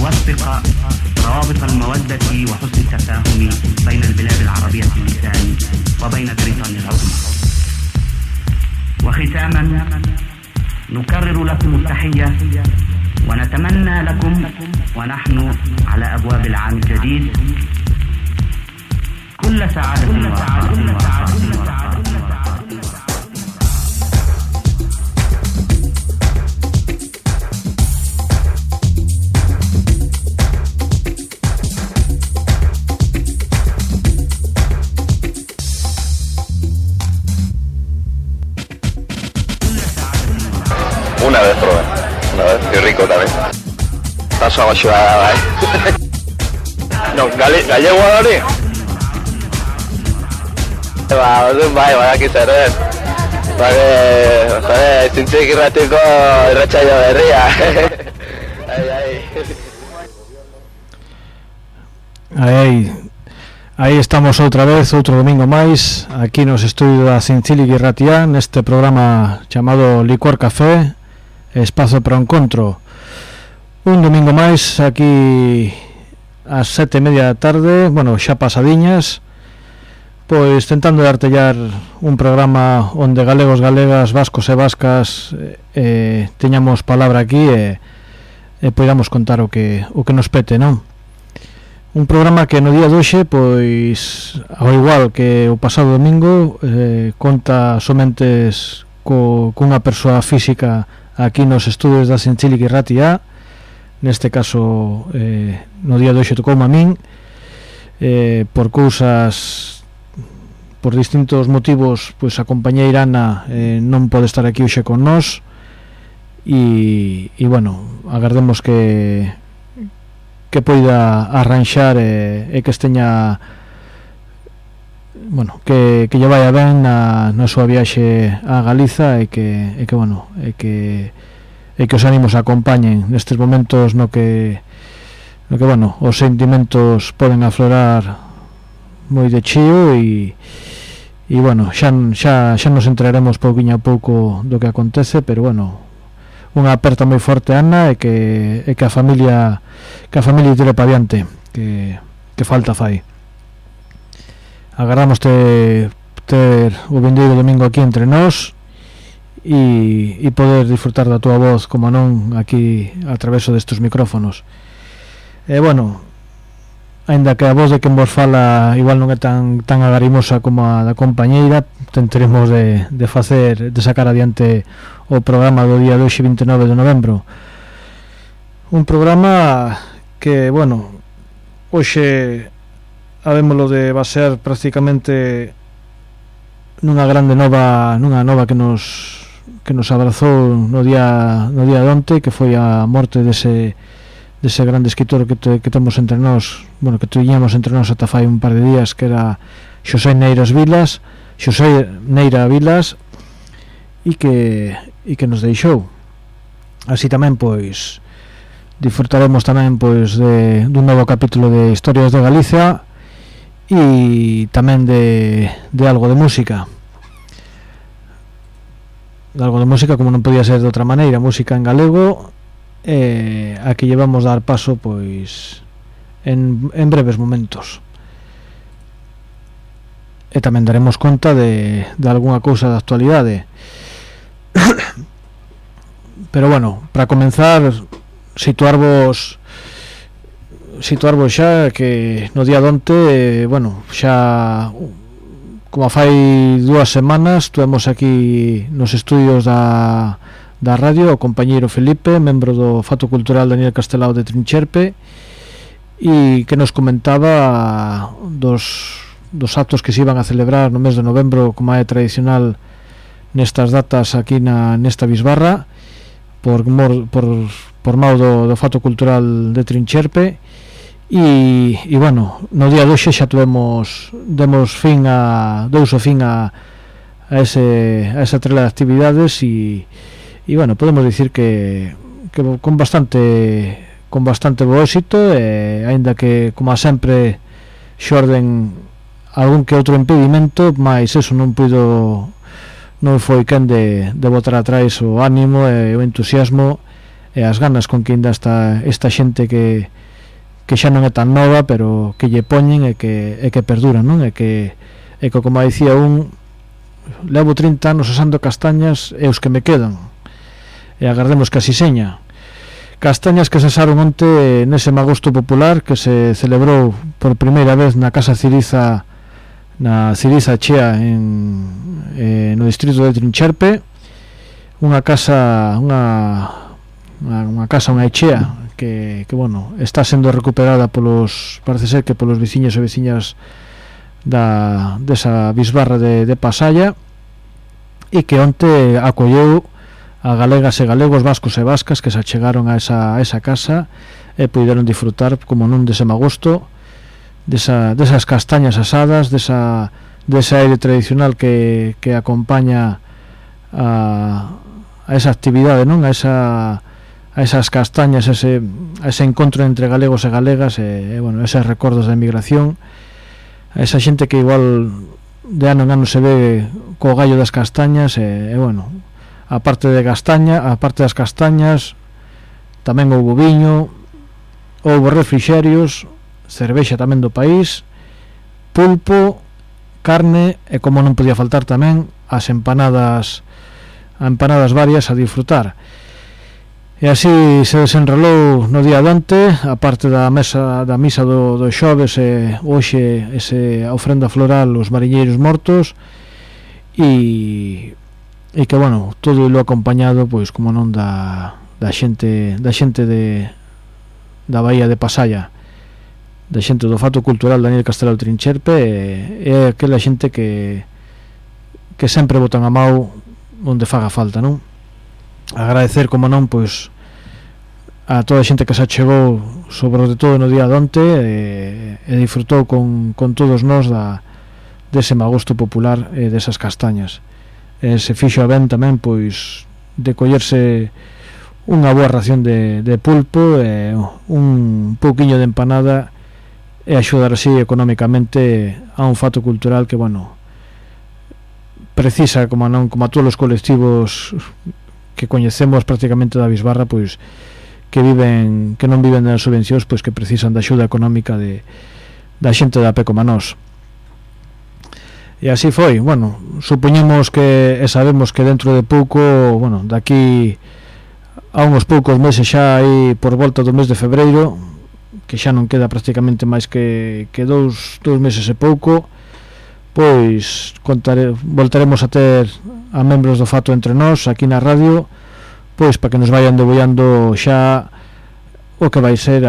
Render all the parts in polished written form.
يوثق روابط المودة وحسن التفاهم بين البلاد العربية اللسان وبين بريطانيا العظمى. وختاما نكرر لكم التحية ونتمنى لكم ونحن على أبواب العام الجديد كل سعادة ورخاء. Una vez probé, y rico también. Está suave, No, gallego ahora. Va, que se red. Joder, sinche que ratico rachayo de ría. Aí estamos outra vez, outro domingo máis, aquí nos estudios da Cincili Guirratía, neste programa chamado Licor Café, Espazo para o Encontro. Un domingo máis, aquí ás 7:30 da tarde, bueno, xa pasadiñas, pois tentando de artellar un programa onde galegos, galegas, vascos e vascas teñamos palabra aquí e poidamos contar o que nos pete, non? Un programa que no día de hoxe, pois, ao igual que o pasado domingo, conta somente cunha persoa física aquí nos estudios da Cincili Guirratía. Neste caso, no día de hoxe tocoume a min, por distintos motivos, pois a compañeira Ana non pode estar aquí hoxe con nós e bueno, agardemos que poida arranxar e que esteña, bueno, que lle vaya ben na súa viaxe a Galiza e que os ánimos acompañen nestes momentos no que bueno, os sentimentos poden aflorar moi de chío e bueno, xa nos enteraremos pouquiño a pouco do que acontece, pero bueno, unha aperta moi forte, Ana, e que a familia tire pa diante, que falta fai. Agardamos ter o vindeiro domingo aquí entre nós e poder disfrutar da tua voz, como non, aquí a traveso destes micrófonos. E bueno, aínda que a voz de quen vos fala igual non é tan agarimosa como a da compañeira, tentaremos de sacar adiante o programa do día de hoxe, 29 de novembro. Un programa que, bueno, hoxe habémolo de basear prácticamente nunha grande nova que nos abrazou no día de onte, que foi a morte dese grande escritor que temos entre nós, bueno, que tiñamos entre nós ata fai un par de días, que era Xosé Neira Vilas, e que nos deixou. Así tamén, pois, disfrutaremos tamén, pois, dun novo capítulo de Historias de Galicia e tamén de algo de música. Como non podía ser de outra maneira, música en galego, a que llevamos dar paso, pois, en breves momentos. E tamén daremos conta de algunha cousa da actualidade. Pero bueno, para comenzar, situarvos xa que no día de onte, bueno, xa como fai 2 semanas tuvemos aquí nos estudios da radio o compañeiro Felipe, membro do Fato Cultural Daniel Castelao de Trincherpe, e que nos comentaba dos actos que se iban a celebrar no mes de novembro, como é tradicional nestas datas aquí nesta bisbarra, por mao do Fato Cultural de Trincherpe. E bueno, no día de hoxe xa demos fin a esa trela de actividades e bueno, podemos dicir que con bastante bo éxito, aínda que, como sempre, xorden algún que outro impedimento, mas eso non foi quen de botar atrás o ánimo e o entusiasmo e as ganas con que ainda está esta xente que xa non é tan nova, pero que lle poñen e que perduran, non? E que como dicía levo 30 anos asando castañas e os que me quedan, e agardemos que así seña. Castañas que se asaron onte nese magosto popular que se celebrou por primeira vez na Casa Ciriza, na Ciriza Chea no distrito de Trincherpe, unha casa, unha echea que bueno, está sendo recuperada parece ser que polos veciños e veciñas desa bisbarra de Pasalla, e que onte acolleu a galegas e galegos, vascos e vascas que se achegaron a esa casa e puideron disfrutar como non dese magosto, desas castañas asadas, dese aire tradicional que acompaña a esa actividade, non? A esas castañas, a ese encontro entre galegos e galegas, e bueno, eses recordos da emigración, a esa xente que igual de ano en ano se ve co gallo das castañas, e bueno, aparte das castañas tamén houbo viño, houbo refrixerios, cervexa tamén do país, pulpo, carne, e como non podía faltar tamén as empanadas varias a disfrutar. E así se desenrolou no día de onte, aparte da misa do xoves, e hoxe esa ofrenda floral aos mariñeiros mortos, e que bueno, todo lo acompañado pois como non da xente da Bahía de Pasalla, da xente do Fato Cultural Daniel Castelao Trincherpe, e aquela xente que sempre botan a mau onde faga falta, non? Agradecer, como non, pois a toda a xente que se achegou sobre todo no día de onte, e disfrutou con todos nós dese magosto popular e desas castañas. Se fixo ben tamén pois de collerse unha boa ración de pulpo e un pouquiño de empanada, e axudar así económicamente a un fato cultural que, bueno, precisa, como a todos os colectivos que coñecemos prácticamente da bisbarra, pois que non viven das subvencións, pois que precisan da axuda económica da xente da pé como nós. E así foi. Bueno, supoñemos e sabemos que dentro de pouco, bueno, daqui a uns poucos meses, xa aí por volta do mes de febreiro, que xa non queda prácticamente máis que dous meses e pouco, pois voltaremos a ter a membros do Fato entre nós aquí na radio, pois para que nos vayan debullando xa o que vai ser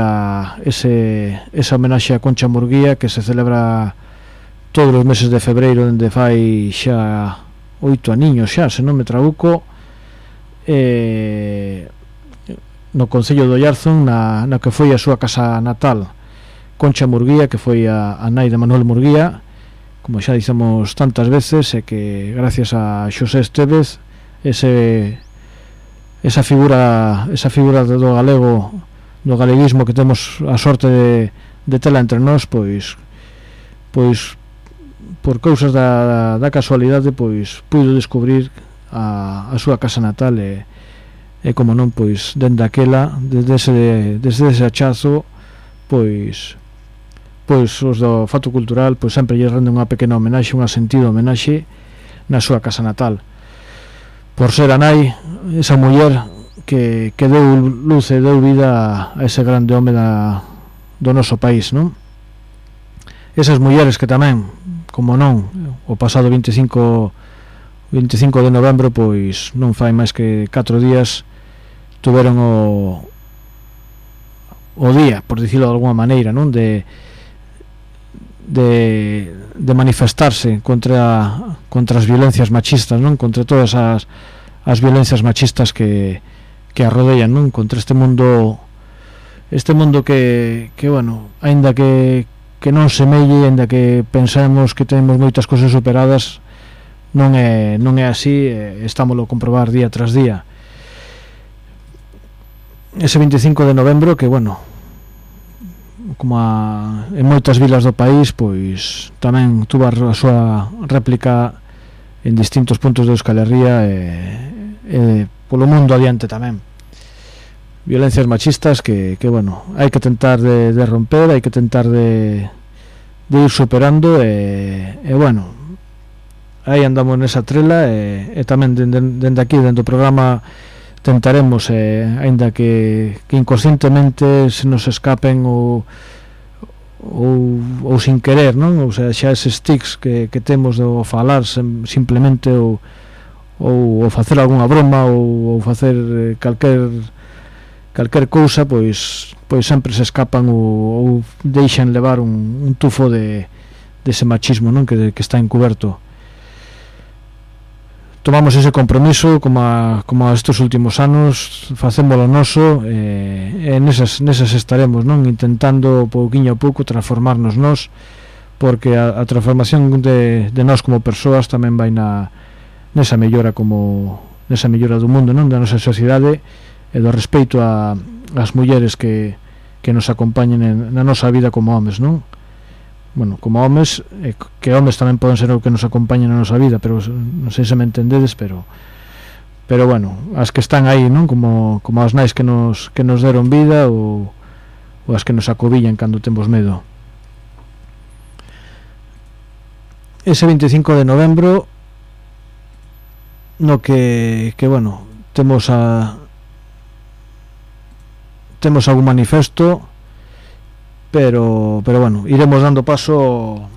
esa homenaxe a Concha Murguía, que se celebra todos os meses de febreiro dende fai xa 8 aniños xa, se non me trabuco, no concello do Ollarzón, na que foi a súa casa natal. Concha Murguía, que foi a nai de Manuel Murguía, como xa dicemos tantas veces, e que gracias a Xosé Estévez, esa figura do galego, do galeguismo que temos a sorte de tela entre nós, pois por cousas da casualidade, pois puido descubrir a súa casa natal, e como non, pois dende aquela, desde ese achazo, pois os do Fato Cultural pois sempre lle renden unha pequena homenaxe, unha sentida homenaxe na súa casa natal, por ser a nai, esa muller que deu luz e deu vida a ese grande home do noso país, non? Esas mulleres que tamén, como non, o pasado 25 de novembro, pois non fai máis que 4 días, tuveron o día, por dicilo de alguma maneira, non? De manifestarse contra as violencias machistas, non? Contra todas as violencias machistas que arrodean, non? Contra este mundo que bueno, aínda que non semelle, aínda que pensamos que temos moitas cousas superadas, non é así, estámoslo a comprobar día tras día. Ese 25 de novembro, que bueno, como en moitas vilas do país, pois tamén tuvo a súa réplica en distintos puntos de Euskal Herria, e polo mundo adiante tamén. violencias machistas que bueno, hai que tentar de romper, hai que tentar de ir superando e bueno, aí andamos nesa trela e tamén dende aquí, dentro do programa tentaremos, aínda que inconscientemente se nos escapen ou sin querer, non? O sea, xa eses tics que temos de falar simplemente ou facer algunha broma ou facer calquer cousa, pois sempre se escapan ou deixan levar un tufo de ese machismo, non? Que está encuberto. Tomamos ese compromiso como estes últimos anos, facémolo noso, e nesas estaremos, non? Intentando pouquiño a pouco transformarnos nós, porque a transformación de nós como persoas tamén vai nesa mellora do mundo, non? Da nosa sociedade e do respeito ás mulleres que nos acompañen na nosa vida como homes, non? Bueno, como homes, que homes tamén poden ser o que nos acompañen na nosa vida, pero non sei se me entendedes, pero bueno, as que están aí, non? Como as nais que nos deron vida ou as que nos acobillan cando temos medo. Ese 25 de novembro no que bueno, temos algún manifesto, pero bueno, iremos dando paso,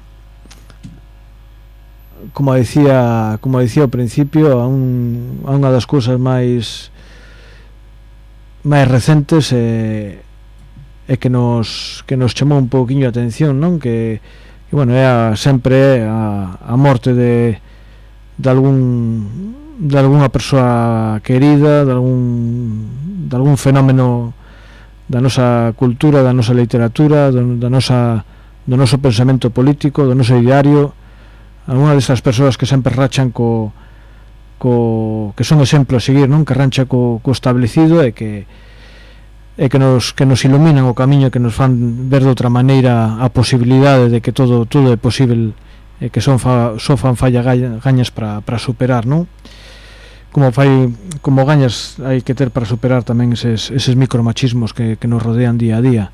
como decía ao principio, a unha das cousas máis recentes e que nos chamou un pouquiño a atención, non? Que bueno, é sempre a morte de algunha persoa querida, de algún fenómeno da nosa cultura, da nosa literatura, do noso pensamento político, do noso ideario, algunha destas persoas que sempre rachan que son exemplo a seguir, non? Que rancha co establecido e que nos iluminan o camiño, que nos fan ver de outra maneira a posibilidade de que todo é posible, e que só fan falla gañas para superar, non? Como gañas hai que ter para superar tamén eses micromachismos que nos rodean día a día,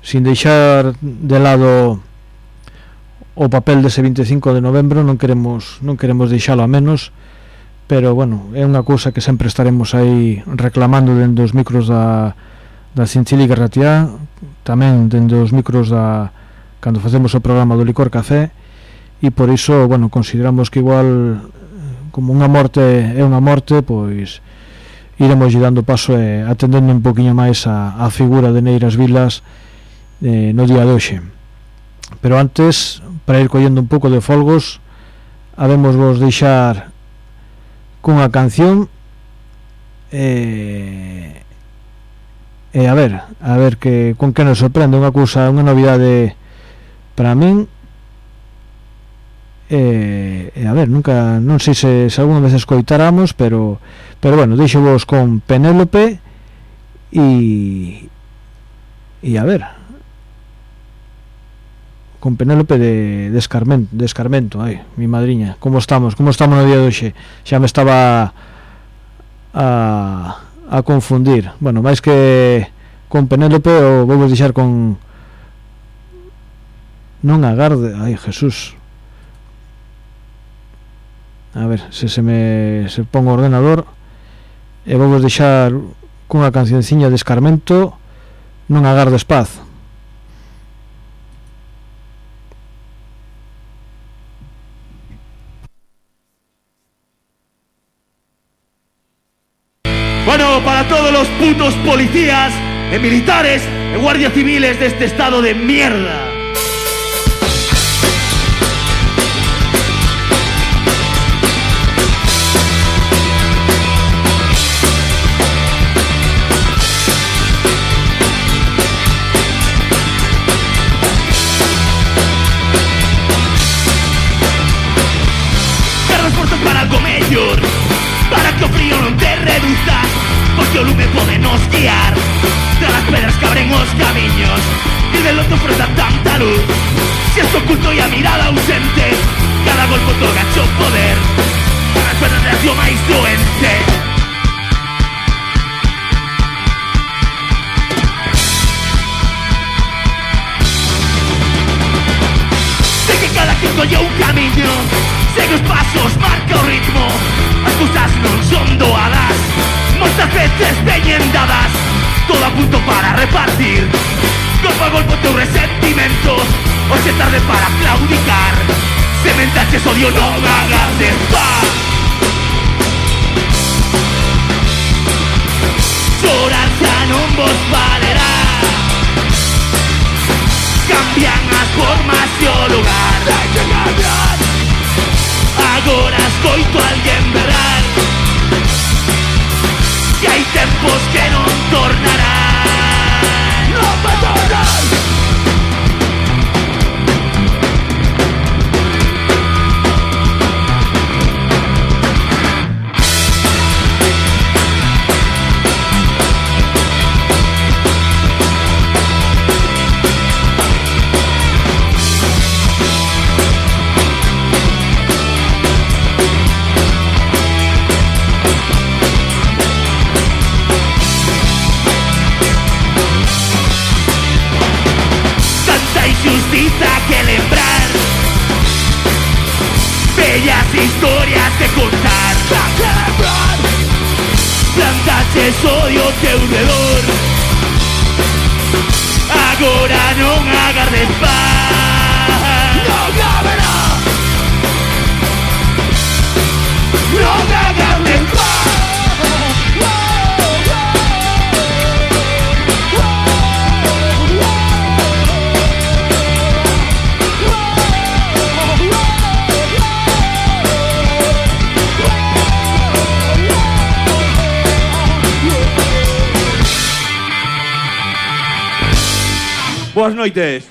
sin deixar de lado o papel dese 25 de novembro. Non queremos deixalo a menos, pero bueno, é unha cousa que sempre estaremos aí reclamando dentro dos micros da Chinchilica Ratiá, tamén dentro dos micros cando facemos o programa do Licor Café, e por iso, bueno, consideramos que igual, como unha morte é unha morte, pois iremos dando paso e atendendo un poquinho máis a figura de Neiras Vilas no día de hoxe. Pero antes, para ir collendo un pouco de folgos, habemos vos deixar cunha canción e a ver con que nos sorprende, unha novidade para min. A ver, non sei se algunha vez escoitáramos, pero bueno, deixo vos con Penélope e a ver, con Penélope de Escarmento. Ai, mi madriña, como estamos no día de hoxe? Xa me estaba a confundir. Bueno, máis que con Penélope, o vou deixar con Non agarde. Ai, Jesús, a ver se pon o ordenador, e vou deixar cunha cancionciña de Escarmento, Non agardes paz. Bueno, para todos los putos policías, militares y guardias civiles de este estado de mierda. Para que o frío non te reduza, porque o lume pode nos guiar tras as pedras que abren os camiños e del outro frota tanta luz. Si es oculto e a mirada ausente, cada golpe otorga o poder para as pedras de acción máis doente. canción segue os pasos, marca o ritmo. As cousas non son doadas, moitas veces veñen dadas, todo a punto para repartir. Golpe a golpe o teu resentimento, hoxe é tarde para claudicar. Sementaches odio, non agardes paz. Chorar xa non vos valerá, cambian as formas e o lugar. Hai que cambiar. Agora escoito a alguén berrar que hai tempos que non tornarán. Non me tornan. Justiza que lembrar, bellas historias que contar. Plantaches odio teu redor, agora non agardes paz. Non haberá, non agardes paz. Boas noites.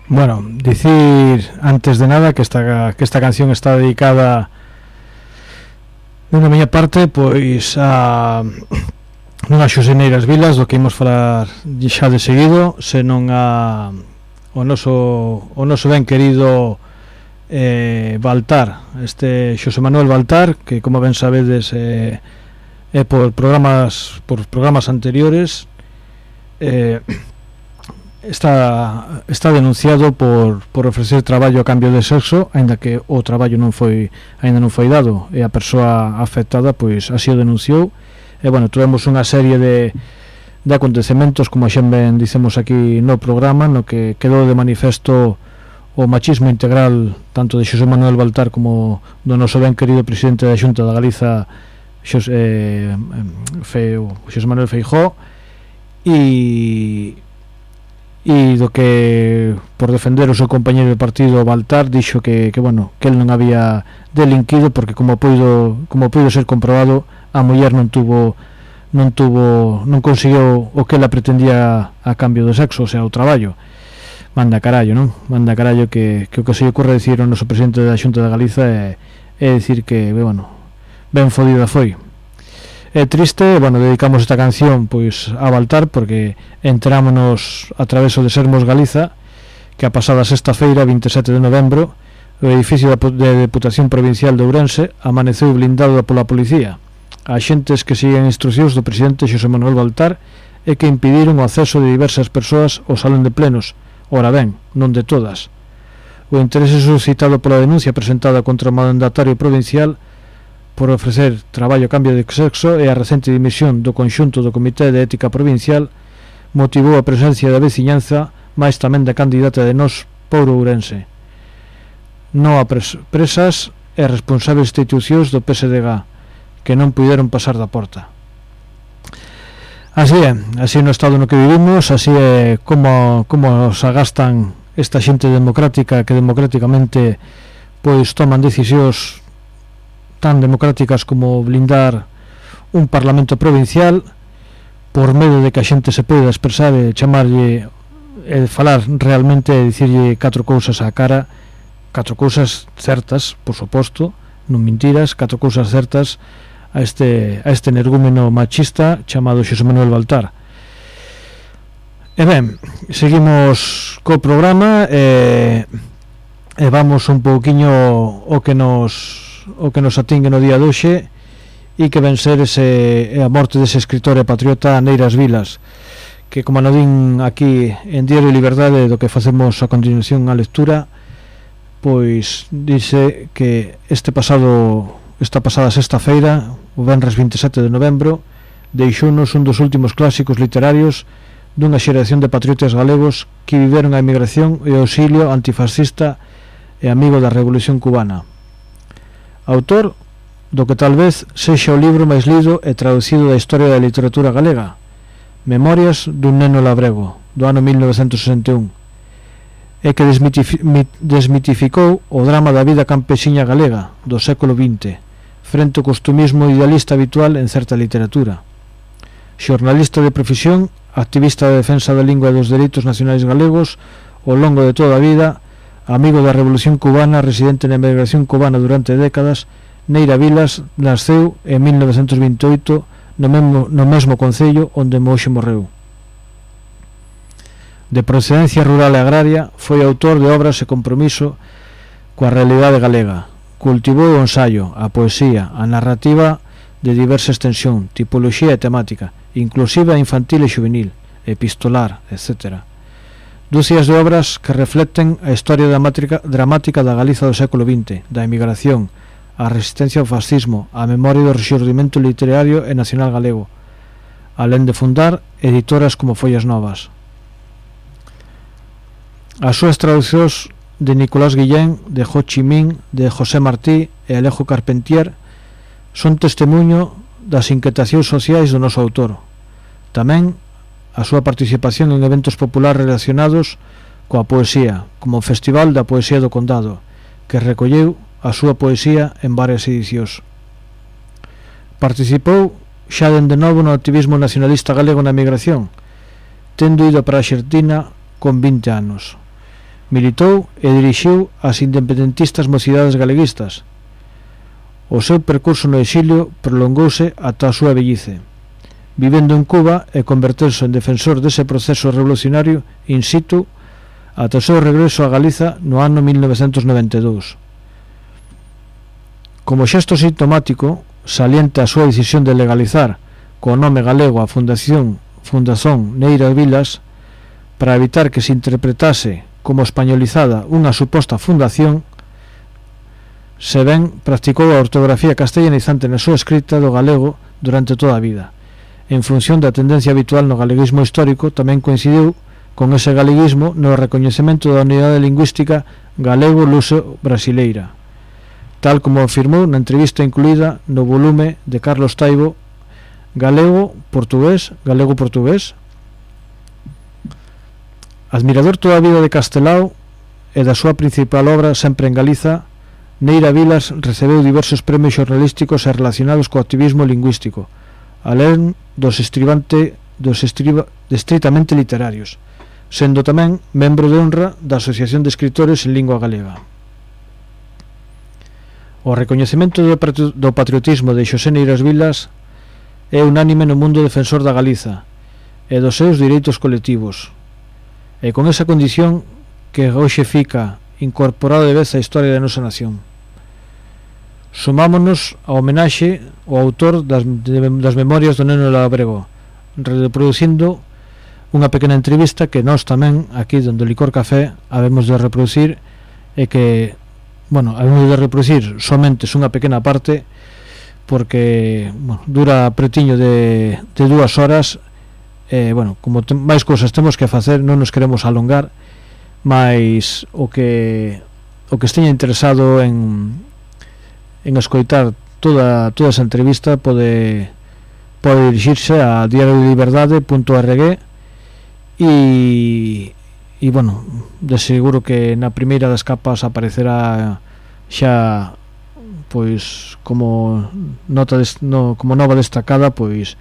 Bueno, dicir antes de nada que esta canción está dedicada de unha miña parte pois a non a Xosé Neiras Vilas, do que imos falar xa de seguido, senón a o noso ben querido Baltar, este Xosé Manuel Baltar, que como ben sabedes por programas anteriores está denunciado por ofrecer traballo a cambio de sexo, aínda que o traballo ainda non foi dado, e a persoa afectada pois así o denunciou. E bueno, tuvemos unha serie de acontecementos, como xa ben dicemos aquí no programa, no que quedou de manifesto o machismo integral tanto de Xosé Manuel Baltar como do noso ben querido presidente da Xunta da Galiza, Xosé Manuel Feijóo, e do que por defender o seu compañeiro de partido Baltar dixo que bueno, que el non había delinquido porque como puido ser comprobado, a muller non conseguiu o que ela pretendía a cambio do sexo, o sea, o traballo. Manda carallo, non? Manda carallo que o que se lle ocurre dicir ao noso presidente da Xunta da Galiza é dicir que, bueno, ben fodida foi. É triste, bueno, dedicamos esta canción pois a Baltar porque enterámonos a través de Sermos Galiza que a pasada sexta-feira, 27 de novembro, o edificio de Deputación Provincial de Ourense amaneceu blindado pola policía. Axentes que siguen instrucións do presidente Xosé Manuel Baltar e que impediron o acceso de diversas persoas ao salón de plenos. Ora ben, non de todas. O interese suscitado pola denuncia presentada contra o mandatario provincial por ofrecer traballo a cambio de sexo e a recente dimisión do conxunto do Comité de Ética Provincial motivou a presencia da veciñanza, máis tamén da candidata de Nós por Ourense. Non a presas e responsables institucións do PSDG que non puideron pasar da porta. Así é no estado no que vivimos, así é como se agastan esta xente democrática que democráticamente pois toman decisións tan democráticas como blindar un parlamento provincial por medio de que a xente se poida expresar e chamarlle e falar realmente e dicirlle 4 cousas á cara, 4 cousas certas, por suposto, non mentiras, 4 cousas certas a este energúmeno machista chamado Xosé Manuel Baltar. E ben, seguimos co programa e vamos un pouquiño o que nos atingue no día de hoxe e que ven ser a morte dese escritor e patriota Neiras Vilas, que como non din aquí en Diario Liberdade, do que facemos a continuación a lectura, pois dice que esta pasada sexta-feira, o venres 27 de novembro, deixounos un dos últimos clásicos literarios dunha xeración de patriotas galegos que viveron a emigración e o auxilio antifascista e amigo da Revolución Cubana. Autor do que tal vez sexa o libro máis lido e traducido da historia da literatura galega, Memorias dun neno labrego, do ano 1961, e que desmitificou o drama da vida campesiña galega do século XX frente ao costumismo idealista habitual en certa literatura. Xornalista de profesión, activista de defensa da lingua e dos dereitos nacionais galegos ao longo de toda a vida, amigo da Revolución Cubana, residente na emigración cubana durante décadas, Neira Vilas nasceu en 1928 no mesmo concello onde hoxe morreu. De procedencia rural e agraria, foi autor de obras e compromiso coa realidade galega. Cultivou o ensaio, a poesía, a narrativa de diversa extensión, tipoloxía e temática, inclusive a infantil e juvenil, epistolar, etc. Dúcias de obras que reflecten a historia dramática da Galiza do século XX, da emigración, a resistencia ao fascismo, a memoria do rexurdimento literario e nacional galego, alén de fundar editoras como Follas Novas. As súas traducións de Nicolás Guillén, de Ho Chi Minh, de José Martí e Alejo Carpentier son testemunho das inquietacións sociais do noso autor. Tamén a súa participación en eventos populares relacionados coa poesía, como o Festival da Poesía do Condado, que recolleu a súa poesía en varias edicións. Participou xa dende novo no activismo nacionalista galego na emigración, tendo ido para a Arxentina con 20 anos. Militou e dirixiu as independentistas mocidades galeguistas. O seu percurso no exilio prolongouse ata a súa vellice, vivendo en Cuba e converterse en defensor dese proceso revolucionario in situ ata o seu regreso a Galiza no ano 1992. Como xesto sintomático, salienta a súa decisión de legalizar co nome galego a Fundación Neira Vilas para evitar que se interpretase como españolizada unha suposta fundación, se ben practicou a ortografía castellanizante na súa escrita do galego durante toda a vida. En función da tendencia habitual no galeguismo histórico, tamén coincidiu con ese galeguismo no recoñecemento da unidade lingüística galego-luso-brasileira, tal como afirmou na entrevista incluída no volume de Carlos Taibo Galego-Portugués. Admirador toda a vida de Castelao e da súa principal obra sempre en Galiza, Neira Vilas recebeu diversos premios xornalísticos e relacionados co activismo lingüístico, alén dos estritamente literarios, sendo tamén membro de honra da Asociación de Escritores en Lingua Galega. O recoñecemento do patriotismo de Xosé Neiras Vilas é unánime no mundo defensor da Galiza e dos seus direitos colectivos, e con esa condición que hoxe fica incorporado de vez á historia da nosa nación. Sumámonos a homenaxe ao autor das Memorias do neno labrego, reproducindo unha pequena entrevista que nós tamén aquí donde o Licor Café habemos de reproducir, e que habemos de reproducir somente unha pequena parte porque dura pretiño de 2 horas. Como máis cousas temos que facer, non nos queremos alongar, mas o que esteña interesado en escoitar toda esa entrevista pode dirixirse a diarioliberdade.org e de seguro que na primeira das capas aparecerá xa pois como nova destacada pois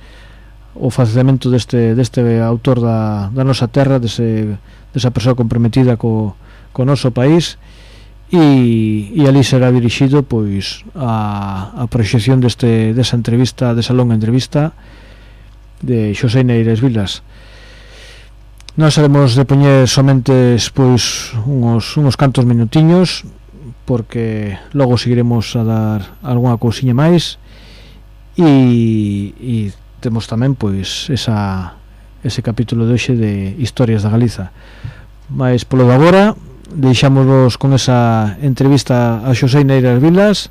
o facelamento deste autor da nosa terra, desa persoa comprometida co noso país, e ali será dirixido pois a proxección desa entrevista, desa longa entrevista de Xosé Neiras Vilas. Nós haremos de poñer somente pois uns cantos minutiños, porque logo seguiremos a dar algunha cousiña máis, e temos tamén pois esa ese capítulo de hoxe de Historias da Galiza. Mais polo de agora deixámosvos con esa entrevista a Xosé Neiras Vilas,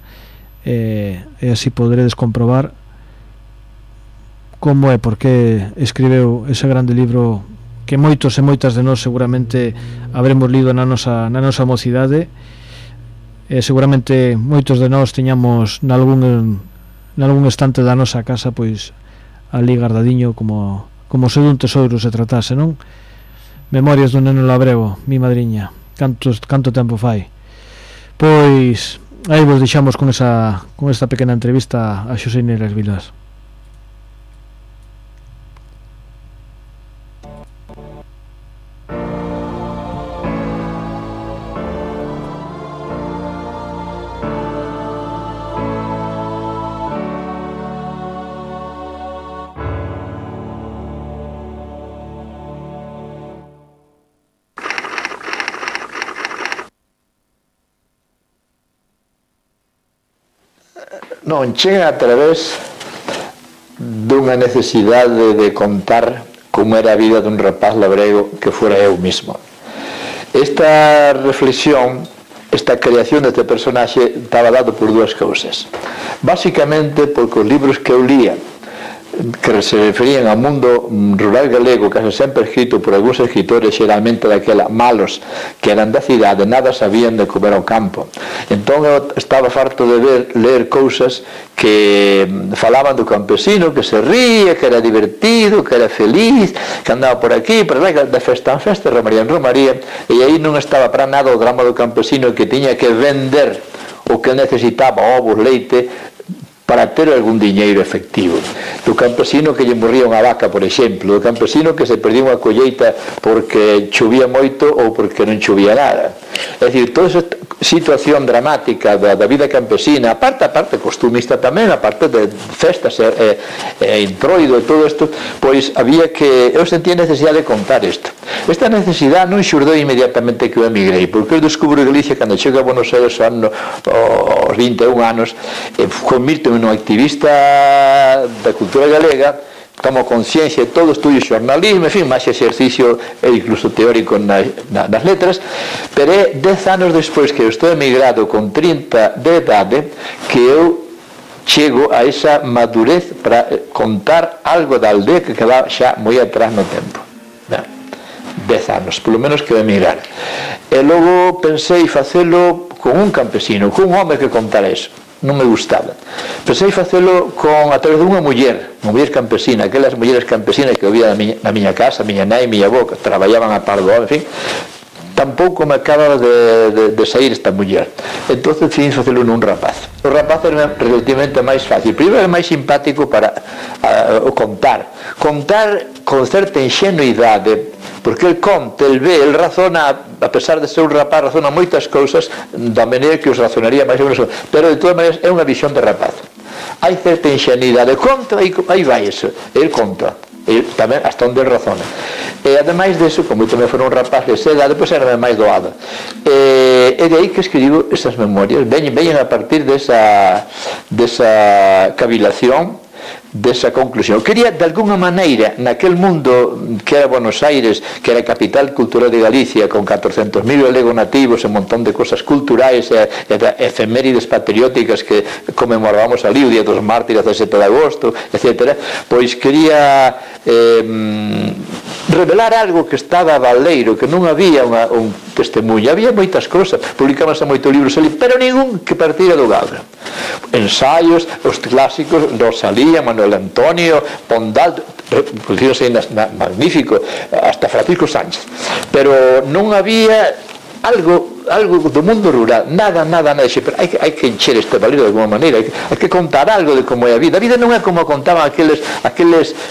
e así poderedes comprobar como é, porque escribeu ese grande libro que moitos e moitas de nós seguramente habremos lido na nosa mocidade, e seguramente moitos de nós teñamos nalgún estante da nosa casa pois ali guardadiño como se dun tesouro se tratase, non? Memorias do neno labrego, mi madriña, canto tempo fai. Pois aí vos deixamos con esta pequena entrevista a Xosé Neiras Vilas. Non chega a través dunha necesidade de contar como era a vida dun rapaz labrego que fora eu mismo. Esta reflexión, esta creación deste personaxe estaba dado por dúas cousas. Básicamente porque os libros que eu lía, que se referían ao mundo rural galego, case sempre escrito por algúns escritores xeralmente daquela malos que eran da cidade, nada sabían de comer ao campo. Entón eu estaba farto de ler cousas que falaban do campesino que se ría, que era divertido, que era feliz, que andaba por aquí, por lá, de festa en festa, romaría en romaría, e aí non estaba para nada o drama do campesino que tiña que vender o que necesitaba, ovos, leite, para ter algún diñeiro efectivo. Do campesino que lle morría unha vaca, por exemplo, do campesino que se perdía unha colleita porque chovía moito ou porque non chovía nada. É dicir, toda esa situación dramática da vida campesina, aparte costumista tamén, aparte de festas e introido e todo isto, pois había que, eu sentía necesidade de contar isto. Esta necesidade non xurdou inmediatamente que eu emigrei, porque eu descubro Galicia cando chego a Buenos Aires aos 21 anos, convirto un activista da cultura galega, tomo conciencia de todo, estudio xornalismo, en fin, máis exercicio e incluso teórico nas letras, pero é 10 anos despois que eu estou emigrado con 30 de idade que eu chego a esa madurez para contar algo da aldea que quedaba xa moi atrás no tempo. 10 anos, polo menos que eu emigrar. E logo pensei facelo con un campesino, con un home que contara eso. Non me gustaba. Pensei facelo a través de unha muller campesina, aquelas mulleres campesinas que había na miña casa, miña nai, miña avó, que traballaban a par do home, en fin. Tampouco me acaba de sair esta muller. Entón decidí facelo nun rapaz. O rapaz era relativamente máis fácil. Primeiro era máis simpático para contar con certa ingenuidade, porque el conta, el ve, el razona, a pesar de ser un rapaz, razona moitas cousas da maneira que os razonaría máis ou menos, pero de todas maneiras é unha visión de rapaz. Hai certa ingenuidade, conta, aí vai eso, el conta, tamén hasta onde el razona. E ademais deso, como eu tamén fora un rapaz de esa edade, pois era máis doada. E de aí que escribo esas memorias, veñen a partir desa cavilación, desa conclusión. Quería, de alguna maneira, naquel mundo que era Buenos Aires, que era a capital cultural de Galicia, con 400.000 galegos nativos, un montón de cosas culturais e efemérides patrióticas que conmemorábamos ali, o Día dos Mártires, 17 de agosto, etc. Pois quería revelar algo que estaba baleiro, que non había un testemunho, había moitas cousas, publicábanse moitos libros ali, pero ningún que partira do Gabra. Ensaios, os clásicos, Rosalía, Manuel Antonio, Pondal, producidos magnífico, hasta Francisco Sánchez, pero non había algo do mundo rural, nada, pero hai que encher este valor de alguma maneira, hai que contar algo de como é a vida. A vida non é como contaban aqueles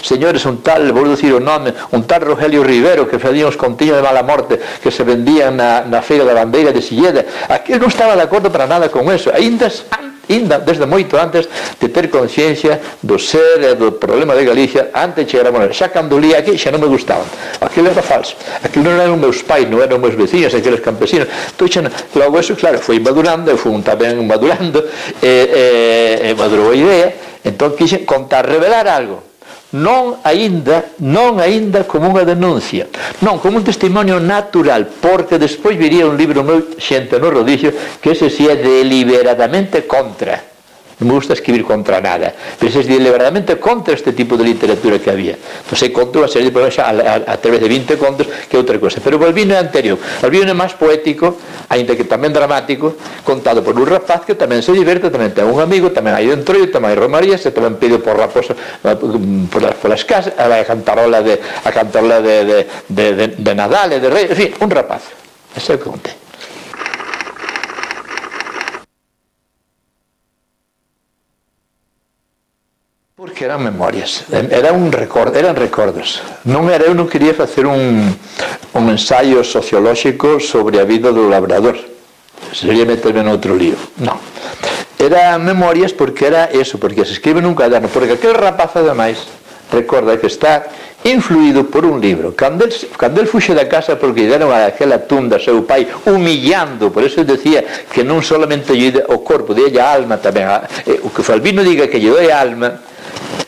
señores, un tal, vou dicir o nome, un tal Rogelio Rivero, que facían os contiños de mala morte que se vendían na feira da bandeira de Silleda. Aquel non estaba de acordo para nada con eso, ainda desde moito antes de ter conciencia do ser e do problema de Galicia, antes de chegar a Buenos Aires. Xa cando lía aquí xa non me gustaban, aquilo era falso, aquilo non eran meus pais, non eran meus vecinos, aqueles campesinos. Entón, logo eso, claro, foi madurando, eu fui tamén madurando, e madurou a idea. Entón quixen contar, revelar algo non aínda como unha denuncia, non como un testimonio natural, porque despois viría un libro meu, Xente no Rodillo, que ese si é deliberadamente contra. Non me gusta escribir contra nada, pero ese é deliberadamente contra este tipo de literatura que había. Entón se contou unha serie de problemas a través de 20 contos, que é outra cosa. Pero o Balbino é anterior. O Balbino é máis poético, aínda que tamén dramático, contado por un rapaz que tamén se diverte, tamén ten un amigo, tamén hai entroido, tamén hai romarías, e tamén pide por raposa polas casas, vai a cantarola de Nadal e de Rei, en fin, un rapaz. Ese é o que contei. Porque eran memorias, eran recordos. Eu non quería facer un ensaio sociolóxico sobre a vida do labrador. Sería meterme noutro lío. Non. Eran memorias porque era eso, porque se escribe nun caderno, porque aquel rapaz ademais recorda que está influído por un libro. Cando el fuxe da casa porque lle deron aquela tunda a seu pai humillando, por eso decía que non solamente lle o corpo, lle a alma tamén. O que Balbino diga que lle doi a alma,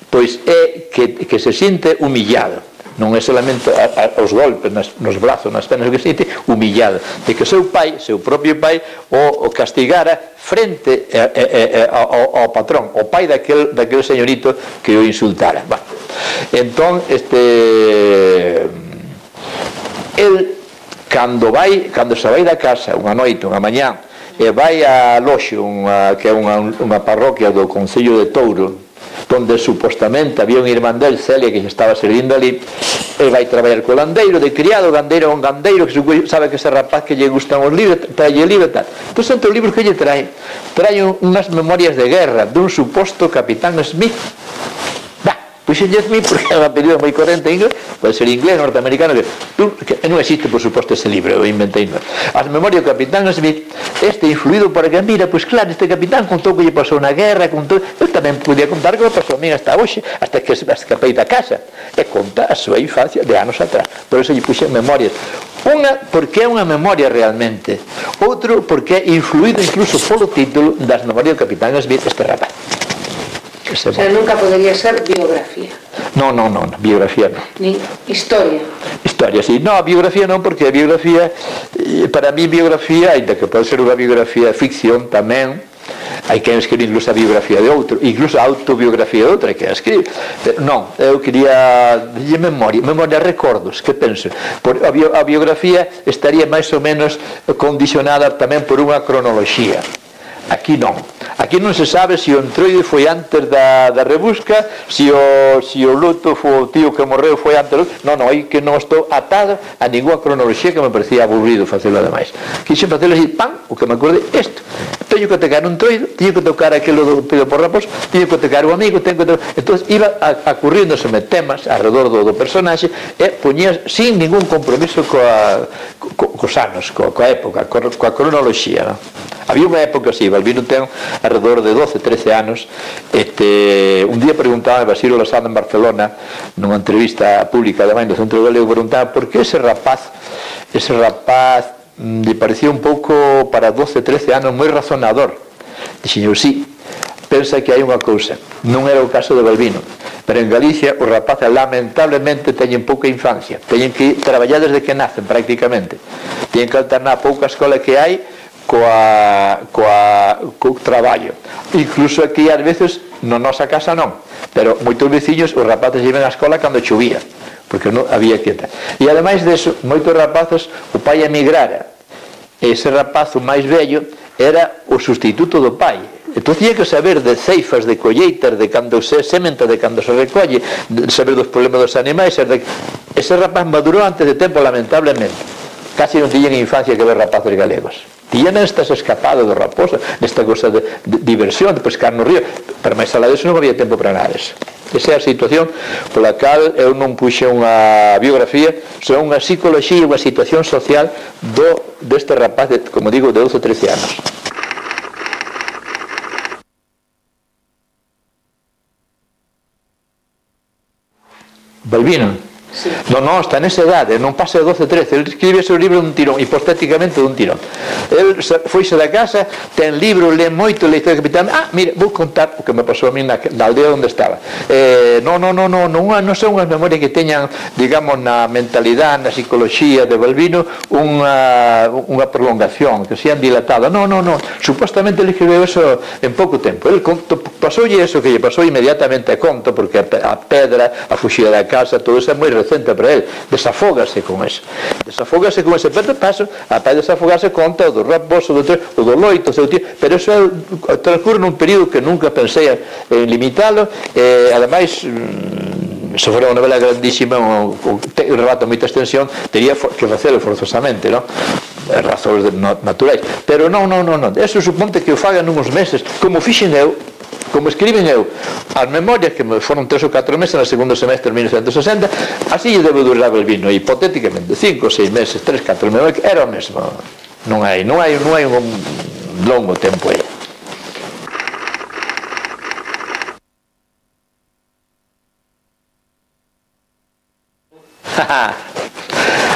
pois é que se sinte humillado, non é solamente os golpes nos brazos, nas penas, que se sinte humillado de que o seu propio pai o castigara frente ao patrón, o pai daquel señorito que o insultara. Entón el cando se vai da casa unha noite, unha mañá, e vai a Loxo, que é unha parroquia do Concello de Touro, donde supostamente había un irmán del, Celia, que estaba servindo ali, e vai traballar co gandeiro, de criado, un gandeiro que sabe que ese rapaz que lle gustan os libros, trae libro e tal. Entón, entre os libros que lle trae unhas memorias de guerra dun suposto capitán Smith. Pois en Smith, porque é un apelido moi corrente en inglés, pode ser inglés, norteamericano, que non existe, por suposto, ese libro, eu inventei. As memorias do capitán Smith, influído por que, mira, pois claro, este capitán contou que lle pasou na guerra, eu tamén podía contar que me pasou a mí hasta hoxe, hasta que escapei da casa, e conta a súa infancia de anos atrás. Por eso lle puxen memorias. Unha, porque é unha memoria realmente. Outro, porque é influído incluso polo título das memorias do capitán Smith, este rapaz. O sea, nunca podría ser biografía. No, biografía no. Ni historia. Historia, sí. No, biografía non, porque a biografía, para mí biografía, ainda que pode ser unha biografía de ficción tamén, hai que escribir incluso a biografía de outro, incluso a autobiografía de outro, hai que escribir. Non, eu quería de memoria, recordos, que penso. A biografía estaría máis ou menos condicionada tamén por unha cronoloxía. Aquí non se sabe se o entroide foi antes da rebusca, se o luto foi o tío que morreu foi antes. Non, aí que non estou atado a ninguna cronoloxía, que me parecía aburrido facelo ademais. Quixen facelo así, o que me acordei, isto. Teño que tocar un entroide, teño que tocar aquilo do Pedro por Raposo, teño que tocar o amigo, entón iba acurriéndoseme temas alrededor do personaxe e poñía sin ningún compromiso cos anos, coa época, coa cronoloxía. Había unha época así, Balbino ten alrededor de 12-13 anos. Un día preguntaba a Basilio Losada en Barcelona, nunha entrevista pública ademais do Centro Galego, preguntaba por que ese rapaz lle parecía un pouco, para 12-13 anos, moi razonador. Dixen, sí, pensa que hai unha cousa, non era o caso de Balbino, pero en Galicia os rapaces lamentablemente teñen pouca infancia, teñen que traballar desde que nacen prácticamente, teñen que alternar a pouca escola que hai co traballo. Incluso aquí ás veces na nosa casa non, pero moitos veciños os rapaces iban á escola cando chovía, porque non había quieta. E ademais deso, moitos rapaces o pai emigrara, e ese rapazo máis vello era o sustituto do pai. Entón tiña que saber de ceifas, de colleitas, de cando se sementa, de cando se recolle, de saber dos problemas dos animais. Ese rapaz madurou antes de tempo, lamentablemente. Casi non tiñen infancia que ver rapaces galegos. Tiñan estas escapadas do Raposo, nesta cosa de diversión, de pescar no río, pero máis alá disso non había tempo para nada disso. Esa é a situación pola cal eu non puxe unha biografía, senón unha psicoloxía, unha situación social deste rapaz, como digo, de 12 ou 13 anos. Balbino. Sí. Non, está nesa idade, non pasa de 12, 13. El escribe ese libro dun tirón, hipotéticamente dun tirón. El foise da casa, ten libro, lee moito, lee historia do capitán. Mira, vou contar o que me pasou a mí na aldea onde estaba. Non son unhas memorias que teñan, digamos, na mentalidade, na psicología de Balbino unha prolongación, que sean dilatada. Non. Supostamente ele escribeu eso en pouco tempo. El pasoulle eso que lle pasou inmediatamente a conto, porque a pedra, a fuxida da casa, todo eso é moi recente para ele. Desafógase con eso. Pero de paso, a paz desafogarse con todo, o raposo, o do loito, pero eso transcurre nun período que nunca pensei en limitalo, ademais se fora unha novela grandísima, un relato de moita extensión, teria que facelo forzosamente, non? Razóns naturais, pero non, eso suponte que o fagan nuns meses, como fixen eu, como escriben eu as memorias, que foron 3 ou 4 meses no segundo semestre de 1960, así lle debe durar Balbino, hipotéticamente 5 ou 6 meses, 3, 4 memorias, era o mesmo. Non hai un longo tempo aí.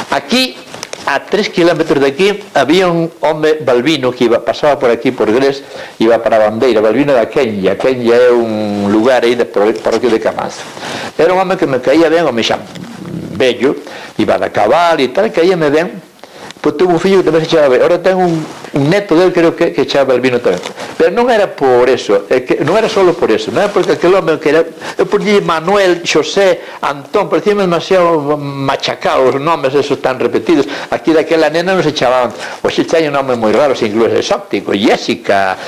Aquí, a 3 kilómetros de aquí, había un home Balbino que pasaba por aquí, por Gres, iba para a Bandeira. Balbino da Kenya é un lugar aí de parroquia de Camanzo. Era un home que me caía ben, home xa bello, iba da cabal e tal, caíame ben. Pois tuvo un fillo que tamén se chamaba ben. Ahora ten un neto del, creo que chamaba Balbino tamén. Pero non era por eso, non era solo por eso, non era porque aquel home que era, eu poñía Manuel, Xosé, Antón, parecían demasiado machacados os nomes esos tan repetidos. Aquí daquela nena non se chamaban, hoxe chañen nomes moi raros, incluso exóptico, Jessica,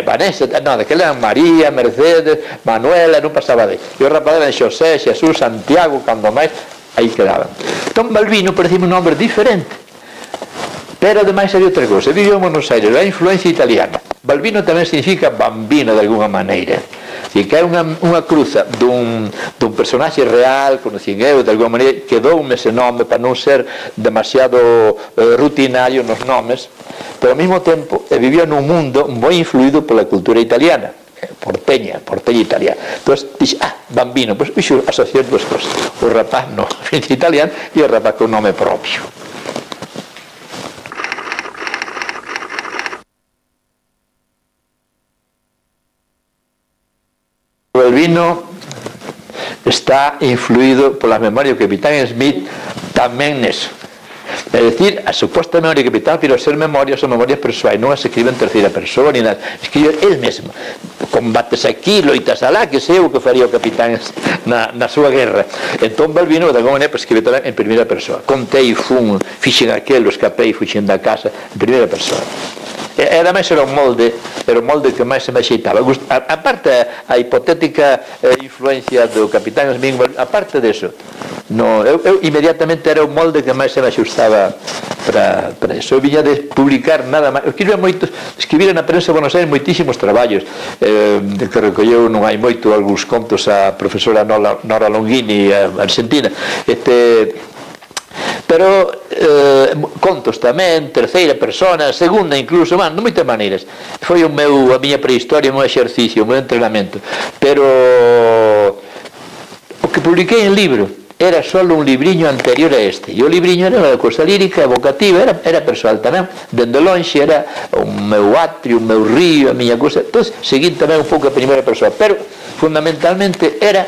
Vanessa, non, daquela eran María, Mercedes, Manuela, non pasaba de. E os rapazes eran Xosé, Xesús, Santiago, cando máis, aí quedaban. Entón Balbino parecía un nombre diferente. Pero ademais había outra cousa, viviu en Buenos Aires, a influencia italiana. Balbino tamén significa bambino de alguna maneira, e que é unha cruza dun personaxe real, conocín eu de alguna maneira, quedoume ese nome para non ser demasiado rutinario nos nomes, pero ao mesmo tempo vivía nun mundo moi influído pola cultura italiana, porteña italiana. Entón, dixe, bambino, pois fixo asociar duas cosas, o rapaz no italiano e o rapaz con nome propio. Balbino está influído polas memorias do Capitán Smith tamén neso. É dicir, a suposta memoria do Capitán, pero ser memorias son memorias persoais, non as escribe en terceira persoa ni nada, escribe el mesmo. Combates aquí, loitas alá, que sei o que faría o Capitán na súa guerra. Entón Balbino de alguma maneira escribe tamén en primeira persoa. Contei, fixen aquelo, escapei, fuxen da casa, en primeira persoa. E ademais era o molde que máis se me axeitaba. Aparte a hipotética influencia do Capitán Smith, aparte deso, eu inmediatamente era o molde que máis se me axustaba para eso. Eu viña de publicar nada máis. Escribira na prensa de Buenos Aires moitísimos traballos, de que recolleu non hai moito algúns contos a profesora Nora Longini, argentina, pero contos tamén, terceira persona, segunda incluso, de moitas maneiras. Foi a miña prehistoria, o meu exercicio, o meu entrenamento. Pero o que publiquei en libro era só un libriño anterior a este, e o libriño era unha cousa lírica, evocativa, era persoal tamén, dende lonxe era o meu atrio, o meu río, a miña cousa. Entón, seguín tamén un pouco a primeira persoa, pero fundamentalmente era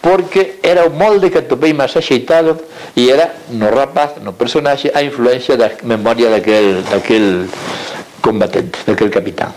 porque era o molde que atopei máis axeitado, e era no rapaz, no personaxe, a influencia da memoria daquel combatente, daquel capitán.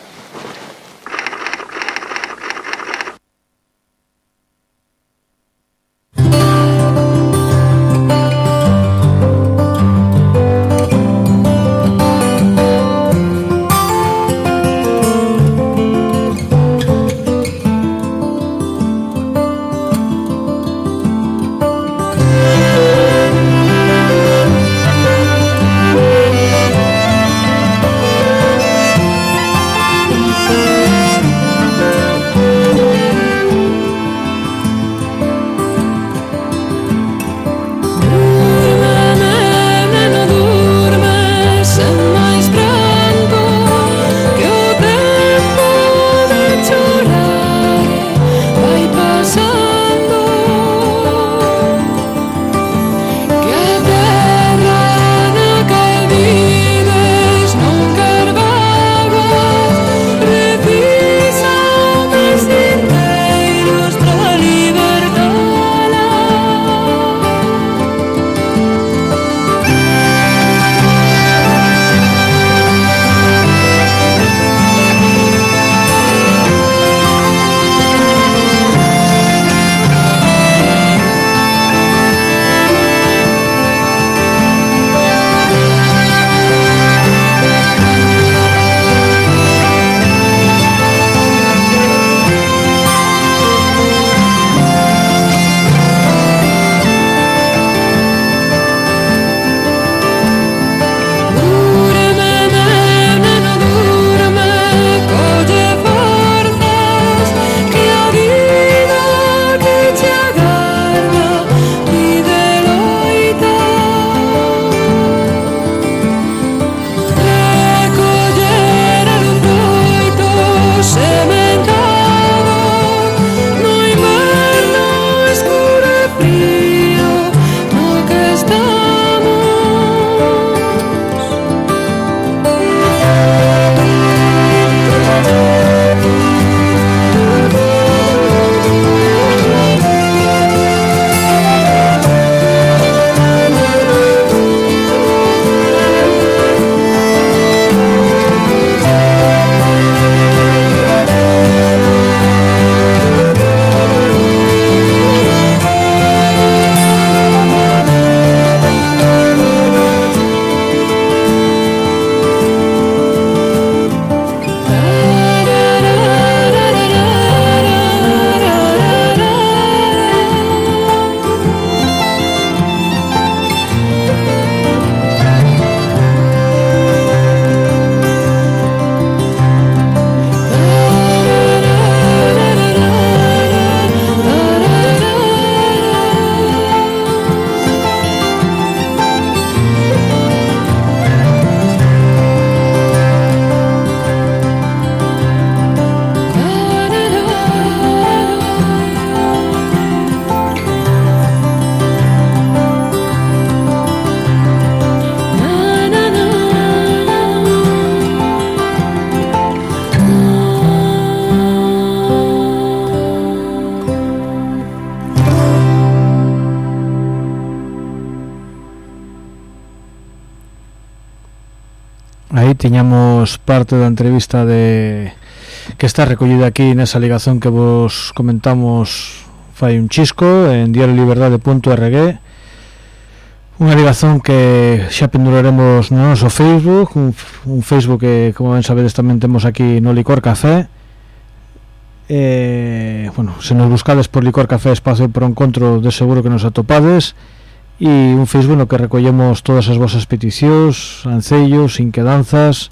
tiñamos parte da entrevista que está recollida aquí nesa ligazón que vos comentamos fai un chisco en diarioliberdade.org, unha ligazón que xa penduraremos no noso Facebook, un Facebook que, como ben sabedes, tamén temos aquí no Licor Café. Bueno, se nos buscades por Licor Café Espacio por Encontro, de seguro que nos atopades, e un Facebook no que recollemos todas as vosas peticións, ancellos, inquedanzas,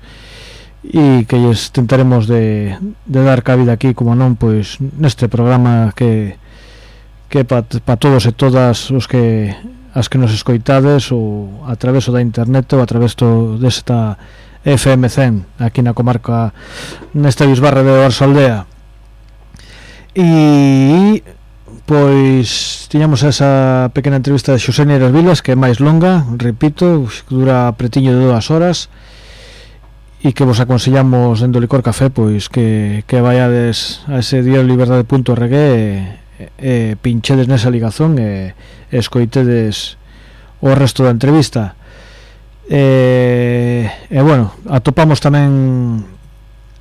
e que lles tentaremos de dar cabida aquí, como non, pois neste programa que para todos e todas os que as que nos escoitades ou a través da internet ou a través desta FM 100 aquí na comarca, nesta bisbarra de Oarsoaldea. E pois tiñamos esa pequena entrevista de Xosé Neiras Vilas, que é máis longa, repito, dura pretiño de 2 horas, e que vos aconsellamos dentro do Licor Café pois que vaiades a ese diarioliberdade.org e pinchedes nesa ligazón e escoitedes o resto da entrevista. E bueno, atopamos tamén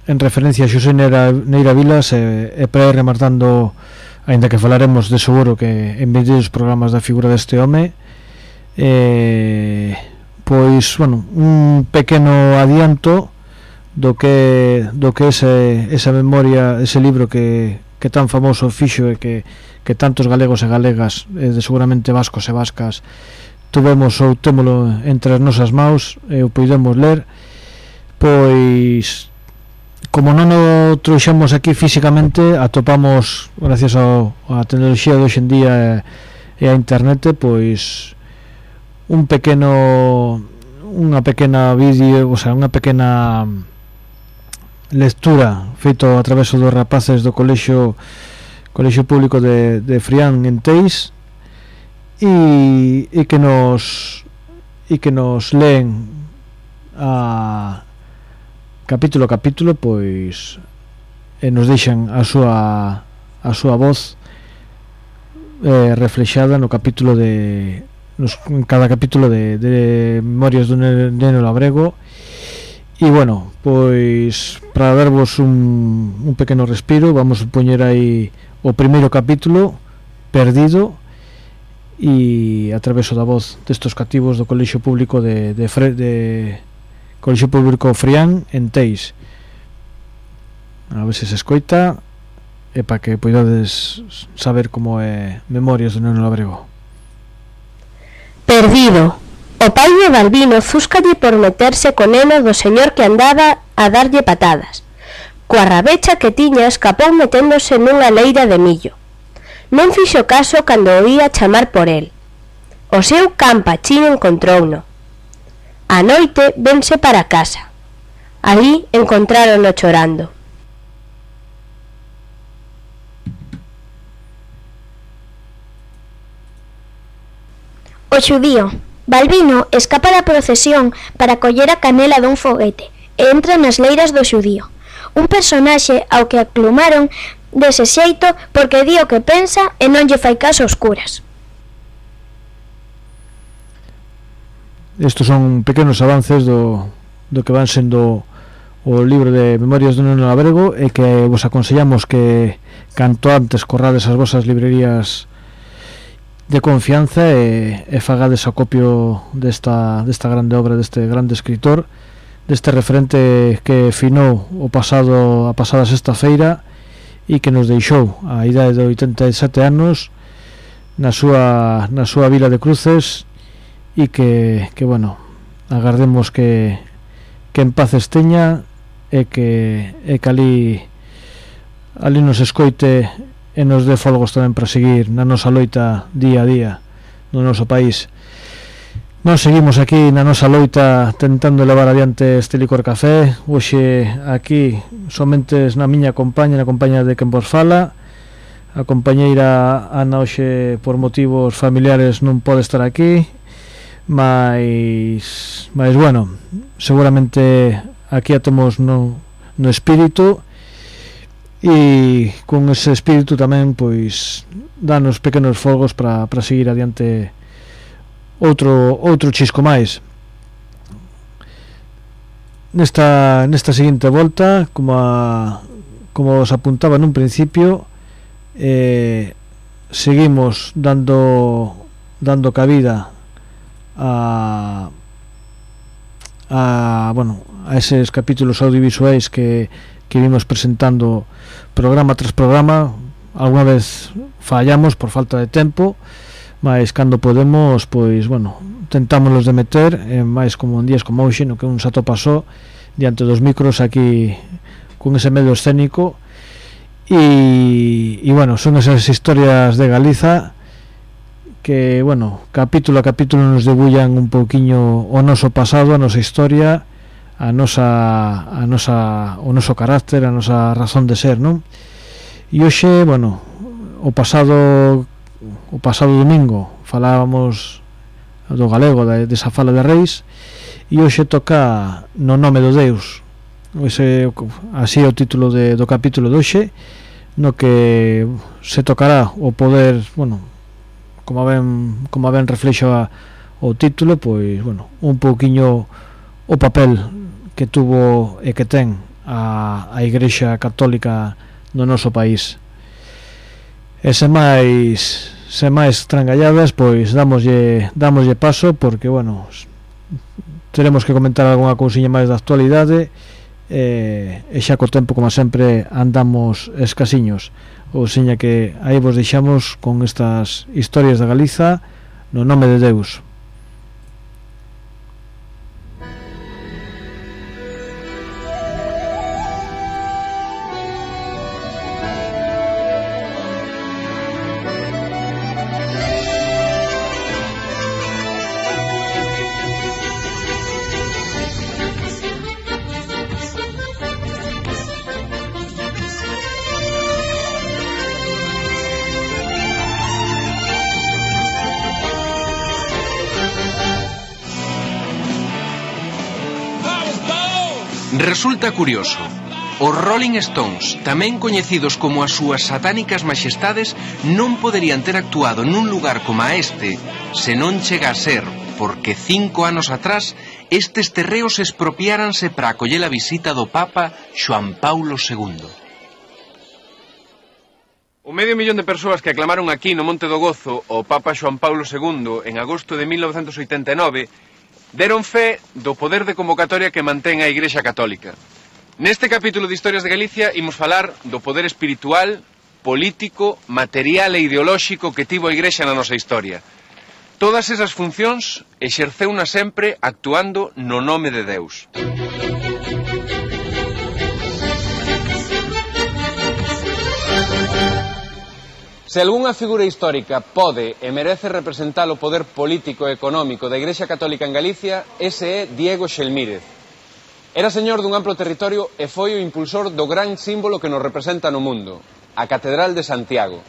en referencia a Xosé Neira Vilas e para ir remartando, aínda que falaremos de seguro que en vídeos programas da figura deste home, pois, bueno, un pequeno adianto do que esa memoria, ese libro que tan famoso fixo e que tantos galegos e galegas, de seguramente vascos e vascas, tuvemos ou témolo entre as nosas maus e o podemos ler. Pois, como non o trouxemos aquí físicamente, atopamos, gracias á tecnoloxía de hoxe en día e a internet, pois unha pequena vídeo, o sea, unha pequena lectura feito a través dos rapaces do colexio público de Frián en Teis, e que nos leen a capítulo a capítulo, pois, e nos deixan a súa voz reflexada no capítulo en cada capítulo de Memorias dun neno labrego. E bueno, pois para darvos un pequeno respiro, vamos a poñer aí o primeiro capítulo, Perdido, e a través da voz destos cativos do colexio público de colexio público Frián en Teis. A ver se escoita e para que poidades saber como é Memorias do neno labrego. Perdido. O pai de Balbino zúscalle por meterse co neno do señor que andaba a darlle patadas. Coa rabecha que tiña escapou meténdose nunha leira de millo. Non fixo caso cando o ía chamar por el. O seu can Pachín encontrouno. A noite vense para casa. Aí encontrárono chorando. O xudío. Balbino escapa da procesión para coller a canela dun foguete e entra nas leiras do xudío, un personaxe ao que aclumaron dese xeito porque di o que pensa e non lle fai caso aos curas. Estos son pequenos avances do que van sendo o libro de Memorias dun neno labrego, e que vos aconsellamos que canto antes corrades as vosas librerías de confianza e fagades acopio desta grande obra, deste grande escritor, deste referente que finou a pasada sexta-feira e que nos deixou a idade de 87 anos na súa vila de Cruces, e que bueno, agardemos que en paz esteña e que ali nos escoite e nos dé folgos tamén para seguir na nosa loita día a día no noso país. Nós seguimos aquí na nosa loita tentando levar adiante este Licor Café. Hoxe aquí somente na miña compañía, na compañía de quen vos fala. A compañeira Ana hoxe por motivos familiares non pode estar aquí, mas bueno, seguramente aquí a temos no espírito, e con ese espírito tamén pois danos pequenos fogos para seguir adiante outro chisco máis. nesta seguinte volta, como os apuntaba nun principio, seguimos dando cabida a eses capítulos audiovisuais que vimos presentando programa tras programa. Alguna vez fallamos por falta de tempo, mas cando podemos, pois, tentámonos de meter, máis como en días como hoxe, no que un se atopa só diante dos micros aquí con ese medio escénico. E son esas historias de Galiza que, capítulo a capítulo nos debullan un pouquiño o noso pasado, a nosa historia, o noso carácter, a nosa razón de ser, non? E hoxe, o pasado domingo falábamos do galego, desa fala de Reis, e hoxe toca No nome do Deus. Así é o título do capítulo de hoxe, no que se tocará o poder, como ben reflexa o título, pois, un pouquiño o papel que tuvo e que ten a Igrexa Católica no noso país. E sen máis trangalladas, pois damoslle paso, porque teremos que comentar algunha cousiña máis da actualidade, e xa co tempo, como sempre, andamos escasiños. Ou seña que aí vos deixamos con estas historias de Galiza no nome de Deus. Resulta curioso, os Rolling Stones, tamén coñecidos como as súas satánicas maxestades, non poderían ter actuado nun lugar como este se non chega a ser porque 5 anos atrás estes terreos expropiáranse para acoller a visita do Papa Xoán Paulo II. O medio millón de persoas que aclamaron aquí no Monte do Gozo o Papa Xoán Paulo II en agosto de 1989 deron fe do poder de convocatoria que mantén a Igrexa Católica. Neste capítulo de Historias de Galicia imos falar do poder espiritual, político, material e ideolóxico que tivo a Igrexa na nosa historia. Todas esas funcións exerceuna sempre actuando no nome de Deus. Se algunha figura histórica pode e merece representar o poder político e económico da Igrexa Católica en Galicia, ese é Diego Xelmírez. Era señor dun amplo territorio e foi o impulsor do gran símbolo que nos representa no mundo, a Catedral de Santiago.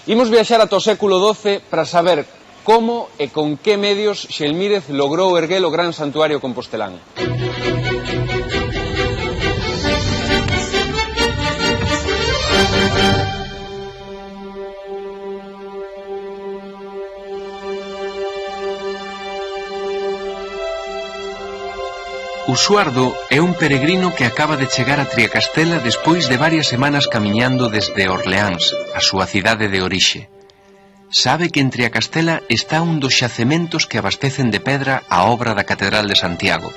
Imos viaxar ata o século XII para saber como e con que medios Xelmírez logrou erguer o gran santuario compostelán. Usuardo é un peregrino que acaba de chegar a Triacastela despois de varias semanas camiñando desde Orleáns, a súa cidade de orixe. Sabe que en Triacastela está un dos xacementos que abastecen de pedra a obra da Catedral de Santiago.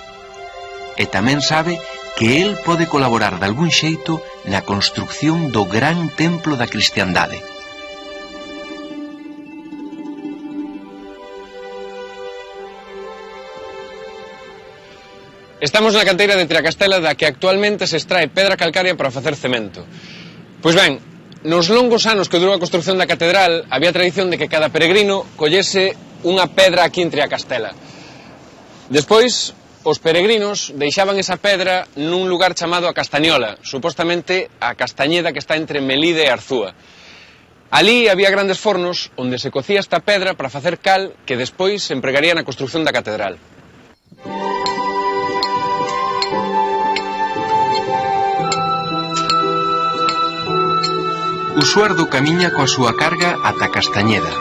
E tamén sabe que el pode colaborar de algún xeito na construcción do gran templo da cristiandade. Estamos na canteira de Triacastela da que actualmente se extrae pedra calcaria para facer cemento. Pois ben, nos longos anos que durou a construcción da catedral había tradición de que cada peregrino collese unha pedra aquí en Triacastela. Despois, os peregrinos deixaban esa pedra nun lugar chamado a Castañola, supostamente a Castañeda que está entre Melide e Arzúa. Alí había grandes fornos onde se cocía esta pedra para facer cal que despois se empregaría na construcción da catedral. Usuardo camiña coa súa carga ata Castañeda.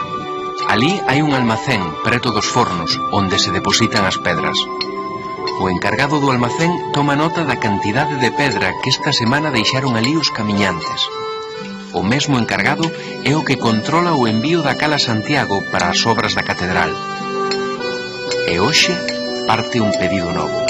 Alí hai un almacén preto dos fornos onde se depositan as pedras. O encargado do almacén toma nota da cantidade de pedra que esta semana deixaron ali os camiñantes. O mesmo encargado é o que controla o envío da cal a Santiago para as obras da catedral. E hoxe parte un pedido novo.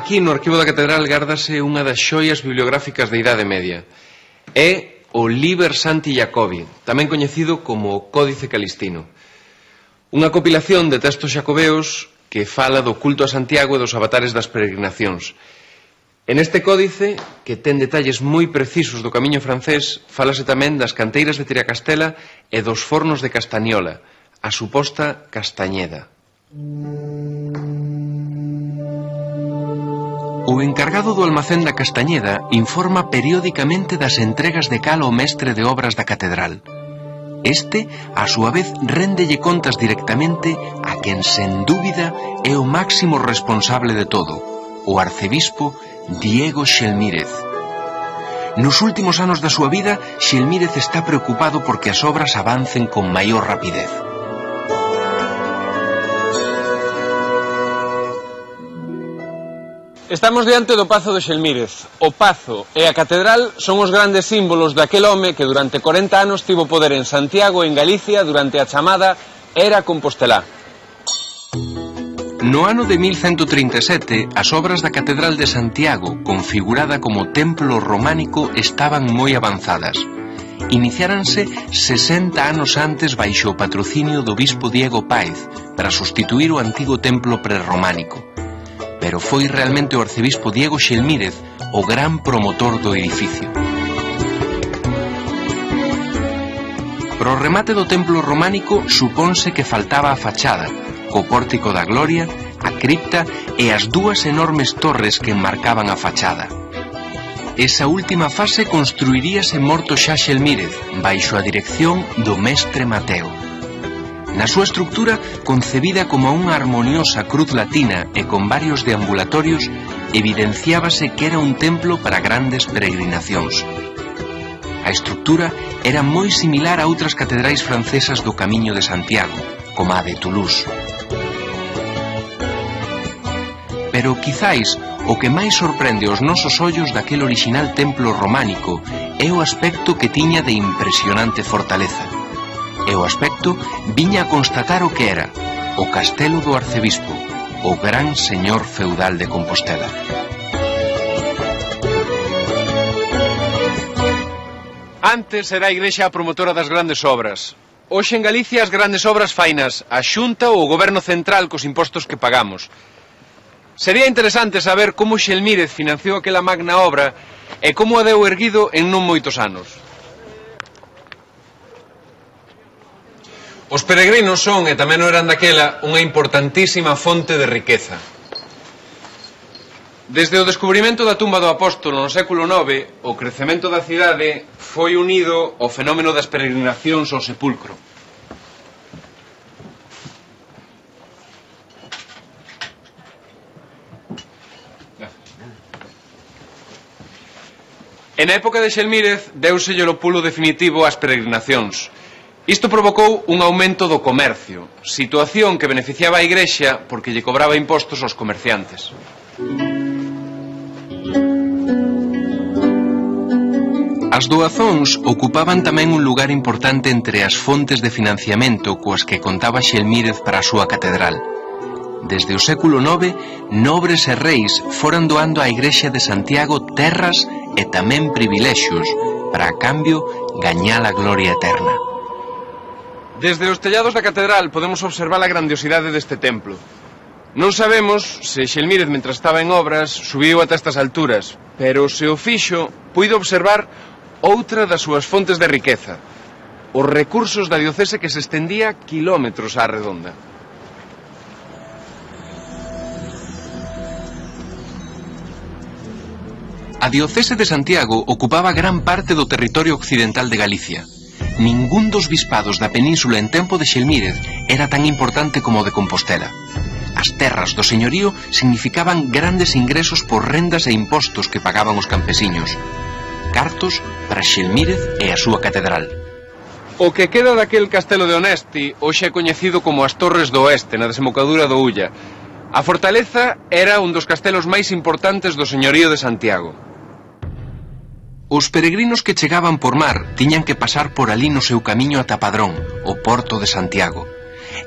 Aquí no arquivo da catedral gárdase unha das xoias bibliográficas da Idade Media. É o Liber Santi Jacobi, tamén coñecido como Códice Calistino. Unha compilación de textos xacobeos que fala do culto a Santiago e dos avatares das peregrinacións. En este códice, que ten detalles moi precisos do camiño francés, falase tamén das canteiras de Triacastela e dos fornos de Castañola, a suposta Castañeda. O encargado do almacén da Castañeda informa periódicamente das entregas de cal ao mestre de obras da catedral. Este, a súa vez, réndelle contas directamente a quen, sen dúbida, é o máximo responsable de todo, o arcebispo Diego Xelmírez. Nos últimos anos da súa vida, Xelmírez está preocupado porque as obras avancen con maior rapidez. Estamos diante do Pazo de Xelmírez. O Pazo e a Catedral son os grandes símbolos daquel home que durante 40 anos tivo poder en Santiago e en Galicia durante a chamada Era Compostelá. No ano de 1137, as obras da Catedral de Santiago, configurada como templo románico, estaban moi avanzadas. Iniciáranse 60 anos antes baixo o patrocinio do bispo Diego Páez para sustituir o antigo templo prerrománico. Pero foi realmente o arcebispo Diego Xelmírez o gran promotor do edificio. Pro remate do templo románico supónse que faltaba a fachada, co pórtico da Gloria, a cripta e as dúas enormes torres que enmarcaban a fachada. Esa última fase construiríase morto xa Xelmírez, baixo a dirección do mestre Mateo. Na súa estructura, concebida como unha harmoniosa cruz latina e con varios deambulatorios, evidenciábase que era un templo para grandes peregrinacións. A estructura era moi similar a outras catedrais francesas do Camiño de Santiago, como a de Toulouse. Pero quizáis o que máis sorprende os nosos ollos daquel orixinal templo románico é o aspecto que tiña de impresionante fortaleza. E o aspecto viña a constatar o que era o castelo do arcebispo, o gran señor feudal de Compostela. Antes era a Igrexa a promotora das grandes obras. Hoxe en Galicia as grandes obras fainas a Xunta ou o Goberno Central cos impostos que pagamos. Sería interesante saber como Xelmírez financiou aquela magna obra e como a deu erguido en non moitos anos. Os peregrinos son, e tamén o eran daquela, unha importantísima fonte de riqueza. Desde o descubrimento da tumba do apóstolo no século IX, o crecemento da cidade foi unido ao fenómeno das peregrinacións ao sepulcro. E na época de Xelmírez deuselle o pulo definitivo ás peregrinacións. Isto provocou un aumento do comercio, situación que beneficiaba a Igrexa porque lle cobraba impostos aos comerciantes. As doazóns ocupaban tamén un lugar importante entre as fontes de financiamento coas que contaba Xelmírez para a súa catedral. Desde o século IX, nobres e reis foran doando á Igrexa de Santiago terras e tamén privilexios para, a cambio, gañar a gloria eterna. Desde os tellados da catedral podemos observar a grandiosidade deste templo. Non sabemos se Xelmírez, mentre estaba en obras, subiu ata estas alturas, pero se o fixo, puido observar outra das súas fontes de riqueza, os recursos da diocese que se estendía kilómetros á redonda. A diocese de Santiago ocupaba gran parte do territorio occidental de Galicia. Ningún dos bispados da península en tempo de Xelmírez era tan importante como o de Compostela. As terras do señorío significaban grandes ingresos por rendas e impostos que pagaban os campesiños. Cartos para Xelmírez e a súa catedral. O que queda daquel castelo de Onesti hoxe é coñecido como as Torres do Oeste, na desembocadura do Ulla. A fortaleza era un dos castelos máis importantes do señorío de Santiago. Os peregrinos que chegaban por mar tiñan que pasar por ali no seu camiño ata Padrón, o porto de Santiago,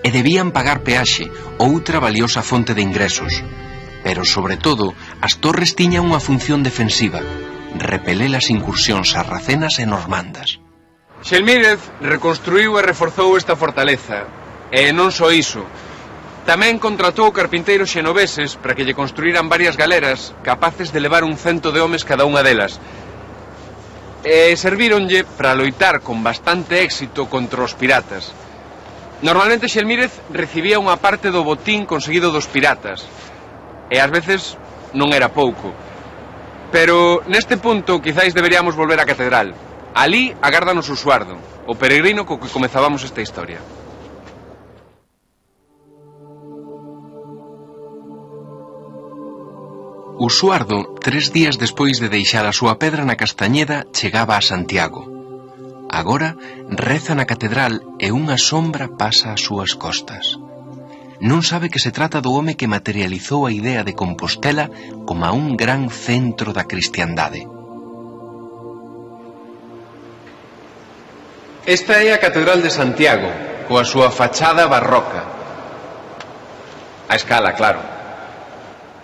e debían pagar peaxe, outra valiosa fonte de ingresos. Pero, sobre todo, as torres tiñan unha función defensiva, repeler as incursións sarracenas e normandas. Xelmírez reconstruiu e reforzou esta fortaleza, e non só iso. Tamén contratou carpinteiros xenoveses para que lle construíran varias galeras capaces de levar 100 de homes cada unha delas. E servíronlle para loitar con bastante éxito contra os piratas. Normalmente Xelmírez recibía unha parte do botín conseguido dos piratas, e ás veces non era pouco. Pero neste punto quizáis deberíamos volver á catedral. Alí agárdanos o Suardo, o peregrino co que comezábamos esta historia. O Suardo, 3 días despois de deixar a súa pedra na Castañeda, chegaba a Santiago. Agora reza na catedral e unha sombra pasa ás súas costas. Non sabe que se trata do home que materializou a idea de Compostela como un gran centro da cristiandade. Esta é a Catedral de Santiago, coa súa fachada barroca. A escala, claro.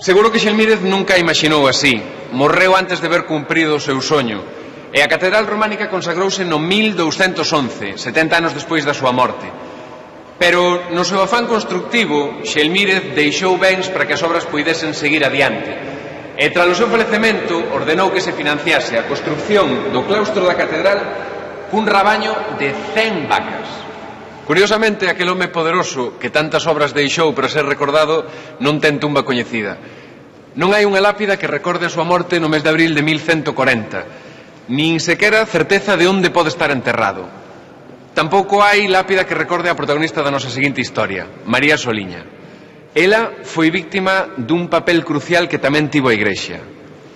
Seguro que Xelmírez nunca imaxinou así. Morreu antes de ver cumprido o seu soño. E a Catedral Románica consagrouse no 1211, 70 anos despois da súa morte. Pero no seu afán constructivo, Xelmírez deixou bens para que as obras puidesen seguir adiante. E tras o seu falecemento ordenou que se financiase a construcción do claustro da catedral cun rabaño de 100 vacas. Curiosamente, aquel home poderoso que tantas obras deixou para ser recordado non ten tumba coñecida. Non hai unha lápida que recorde a súa morte no mes de abril de 1140, nin sequera certeza de onde pode estar enterrado. Tampouco hai lápida que recorde a protagonista da nosa seguinte historia, María Soliña. Ela foi víctima dun papel crucial que tamén tivo a Igrexa: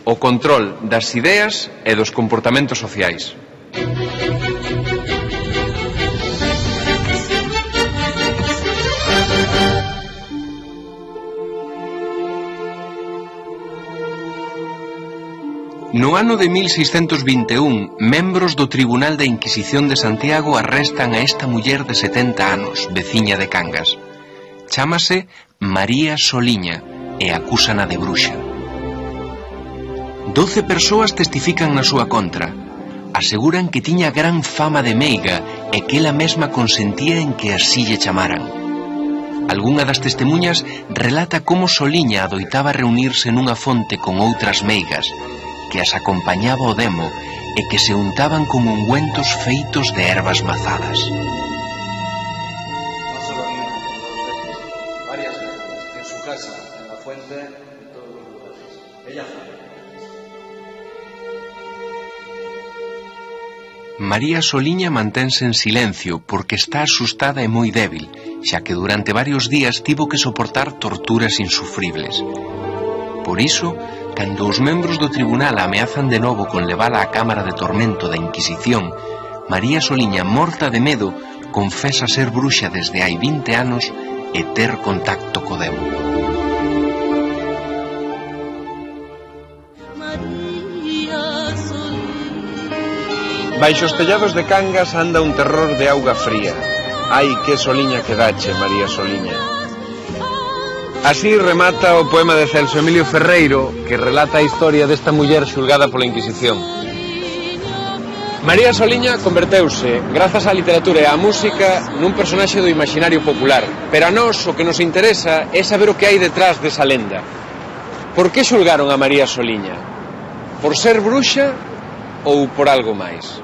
o control das ideas e dos comportamentos sociais. No ano de 1621, membros do Tribunal da Inquisición de Santiago arrestan a esta muller de 70 anos, veciña de Cangas. Chámase María Soliña e acúsana de bruxa. 12 persoas testifican na súa contra. Aseguran que tiña gran fama de meiga e que ela mesma consentía en que así lle chamaran. Algunha das testemunhas relata como Soliña adoitaba reunirse nunha fonte con outras meigas, que as acompañaba o demo e que se untaban con ungüentos feitos de ervas mazadas. Varias veces, en su casa, en la fuente, en todos los lugares. Ella fue. María Soliña mantense en silencio porque está asustada e moi débil, xa que durante varios días tivo que soportar torturas insufribles. Por iso, cando os membros do tribunal a ameazan de novo con levala á cámara de tormento da Inquisición, María Soliña, morta de medo, confesa ser bruxa desde hai 20 anos e ter contacto co demo. Baixo os tellados de Cangas anda un terror de auga fría. Ai, que soliña que dache, María Soliña. Así remata o poema de Celso Emilio Ferreiro, que relata a historia desta muller xulgada pola Inquisición. María Soliña converteuse, grazas á literatura e á música, nun personaxe do imaginario popular. Pero a nós o que nos interesa é saber o que hai detrás desa lenda. Por que xulgaron a María Soliña? Por ser bruxa ou por algo máis?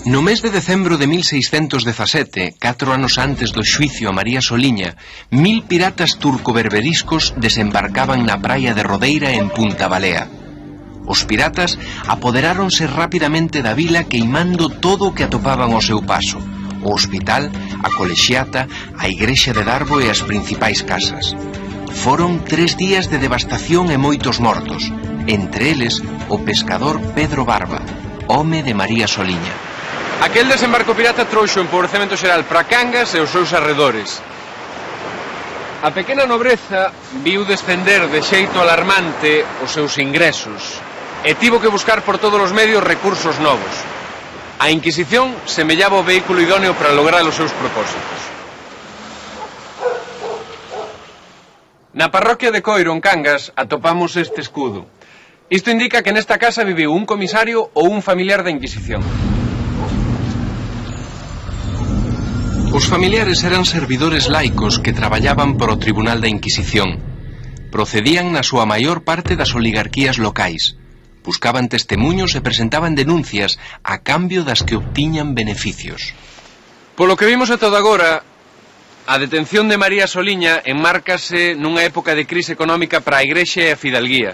No mes de decembro de 1617, 4 anos antes do xuicio a María Soliña, 1000 piratas turco-berberiscos desembarcaban na praia de Rodeira en Punta Balea. Os piratas apoderáronse rapidamente da vila queimando todo o que atopaban ao seu paso: o hospital, a colexiata, a igrexa de Darbo e as principais casas. Foron 3 días de devastación e moitos mortos, entre eles o pescador Pedro Barba, home de María Soliña. Aquel desembarco pirata trouxo o empobrecemento xeral para Cangas e os seus arredores. A pequena nobreza viu descender de xeito alarmante os seus ingresos e tivo que buscar por todos os medios recursos novos. A Inquisición semellaba o vehículo idóneo para lograr os seus propósitos. Na parroquia de Coiro, en Cangas, atopamos este escudo. Isto indica que nesta casa viviu un comisario ou un familiar da Inquisición. Os familiares eran servidores laicos que traballaban para o Tribunal da Inquisición. Procedían na súa maior parte das oligarquías locais. Buscaban testemuños e presentaban denuncias a cambio das que obtiñan beneficios. Polo que vimos ata agora, a detención de María Soliña enmárcase nunha época de crise económica para a Igrexa e a Fidalguía.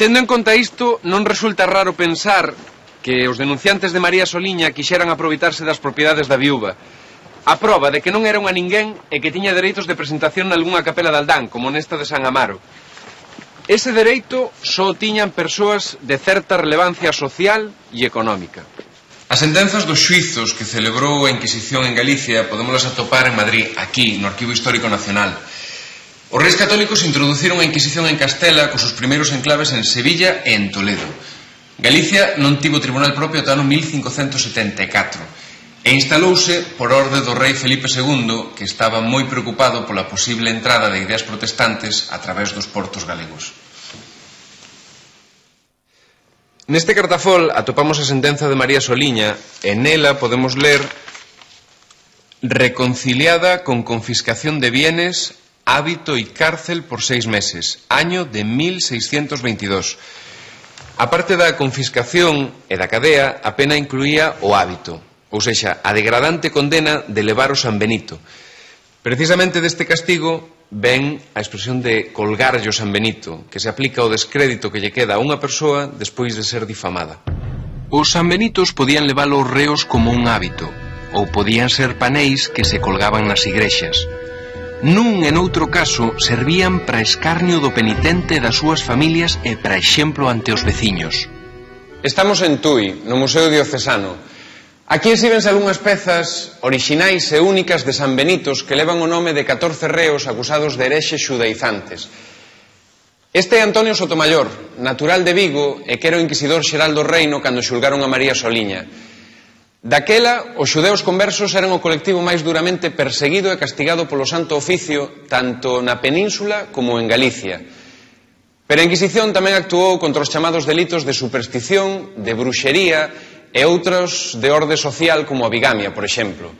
Tendo en conta isto, non resulta raro pensar que os denunciantes de María Soliña quixeran aproveitarse das propiedades da viúva, a proba de que non era unha ninguén e que tiña dereitos de presentación nalgúnha capela de Aldán, como nesta de San Amaro. Ese dereito só tiñan persoas de certa relevancia social e económica. As sentenzas dos xuizos que celebrou a Inquisición en Galicia podémolas atopar en Madrid, aquí, no Arquivo Histórico Nacional. Os reis católicos introduciron a Inquisición en Castela cos seus primeiros enclaves en Sevilla e en Toledo. Galicia non tivo tribunal propio ata o ano 1574 e instalouse por orde do rei Felipe II, que estaba moi preocupado pola posible entrada de ideas protestantes a través dos portos galegos. Neste cartafol atopamos a sentenza de María Soliña e nela podemos ler: reconciliada con confiscación de bienes, hábito y cárcel por 6 meses, año de 1622. A parte da confiscación e da cadea, a pena incluía o hábito, ou sexa, a degradante condena de levar o San Benito. Precisamente deste castigo ven a expresión de colgarlle o San Benito, que se aplica ao descrédito que lle queda a unha persoa despois de ser difamada. Os San Benitos podían levar os reos como un hábito, ou podían ser paneis que se colgaban nas igrexas. Nun e noutro caso servían para escarnio do penitente das súas familias e para exemplo ante os veciños. Estamos en Tui, no Museo Diocesano. Aquí exíbense algunhas pezas orixinais e únicas de San Benitos que levan o nome de 14 reos acusados de herexes xudaizantes. Este é Antonio Sotomayor, natural de Vigo e que era o inquisidor xeral do reino cando xulgaron a María Soliña. Daquela, os xudeus conversos eran o colectivo máis duramente perseguido e castigado polo Santo Oficio tanto na península como en Galicia. Pero a Inquisición tamén actuou contra os chamados delitos de superstición, de bruxería e outros de orde social como a bigamia, por exemplo.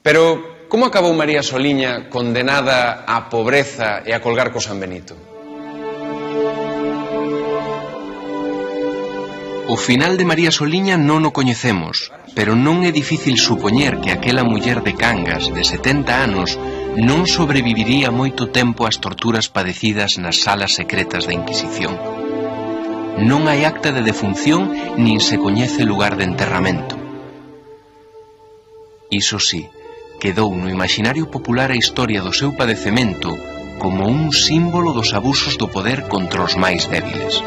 Pero como acabou María Soliña condenada á pobreza e a colgar co San Benito? O final de María Soliña non o coñecemos, pero non é difícil supoñer que aquela muller de Cangas de 70 anos non sobreviviría moito tempo ás torturas padecidas nas salas secretas da Inquisición. Non hai acta de defunción nin se coñece lugar de enterramento. Iso sí, quedou no imaginario popular a historia do seu padecemento como un símbolo dos abusos do poder contra os máis débiles.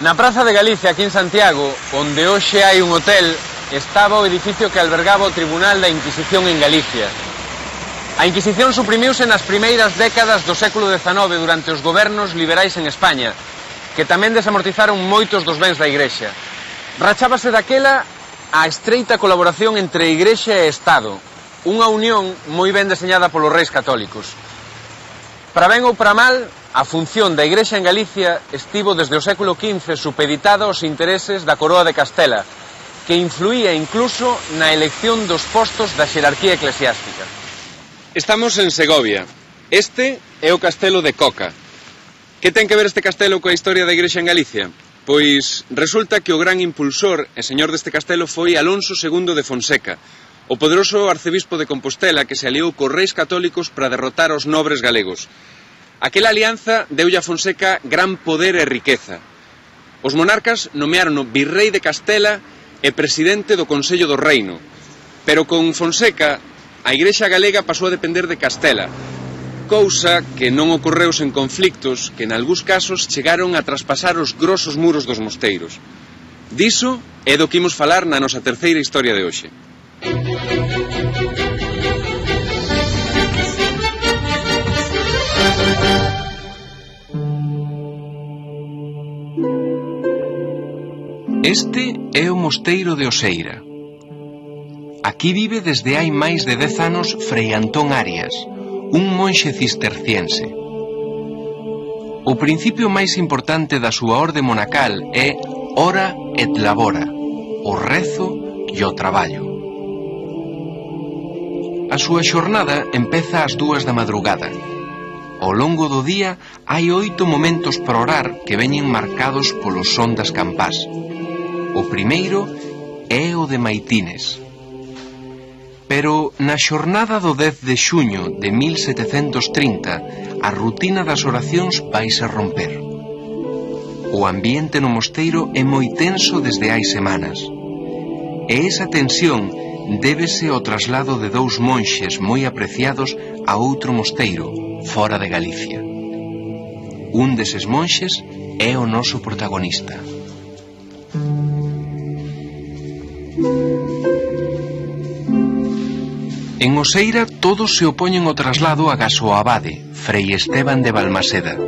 Na Praza de Galicia, aquí en Santiago, onde hoxe hai un hotel, estaba o edificio que albergaba o Tribunal da Inquisición en Galicia. A Inquisición suprimiuse nas primeiras décadas do século XIX durante os gobernos liberais en España, que tamén desamortizaron moitos dos bens da Igrexa. Rachábase daquela a estreita colaboración entre Igrexa e Estado, unha unión moi ben deseñada polos reis católicos. Para ben ou para mal, a función da Igrexa en Galicia estivo desde o século XV supeditada aos intereses da Coroa de Castela, que influía incluso na elección dos postos da xerarquía eclesiástica. Estamos en Segovia. Este é o castelo de Coca. Que ten que ver este castelo coa historia da Igrexa en Galicia? Pois resulta que o gran impulsor e señor deste castelo foi Alonso II de Fonseca, o poderoso arcebispo de Compostela que se aliou cos reis católicos para derrotar aos nobres galegos. Aquela alianza deulle a Fonseca gran poder e riqueza. Os monarcas nomearon virrei de Castela e presidente do Consello do Reino, pero con Fonseca a Igrexa galega pasou a depender de Castela, cousa que non ocorreu sen conflictos que nalgúns casos chegaron a traspasar os grosos muros dos mosteiros. Diso é do que imos falar na nosa terceira historia de hoxe. Este é o mosteiro de Oseira. Aquí vive desde hai máis de 10 anos Frei Antón Arias, un monxe cisterciense. O principio máis importante da súa orde monacal é ora et labora, o rezo e o traballo. A súa xornada empeza ás 2 da madrugada. Ao longo do día hai 8 momentos para orar que veñen marcados polo son das campás. O primeiro é o de maitines. Pero na xornada do 10 de xuño de 1730 a rutina das oracións vaise romper. O ambiente no mosteiro é moi tenso desde hai semanas. E esa tensión débese ao traslado de 2 monxes moi apreciados a outro mosteiro, fora de Galicia. Un deses monxes é o noso protagonista. En Oseira todos se opoñen ao traslado agás o abade, Frei Esteban de Balmaseda.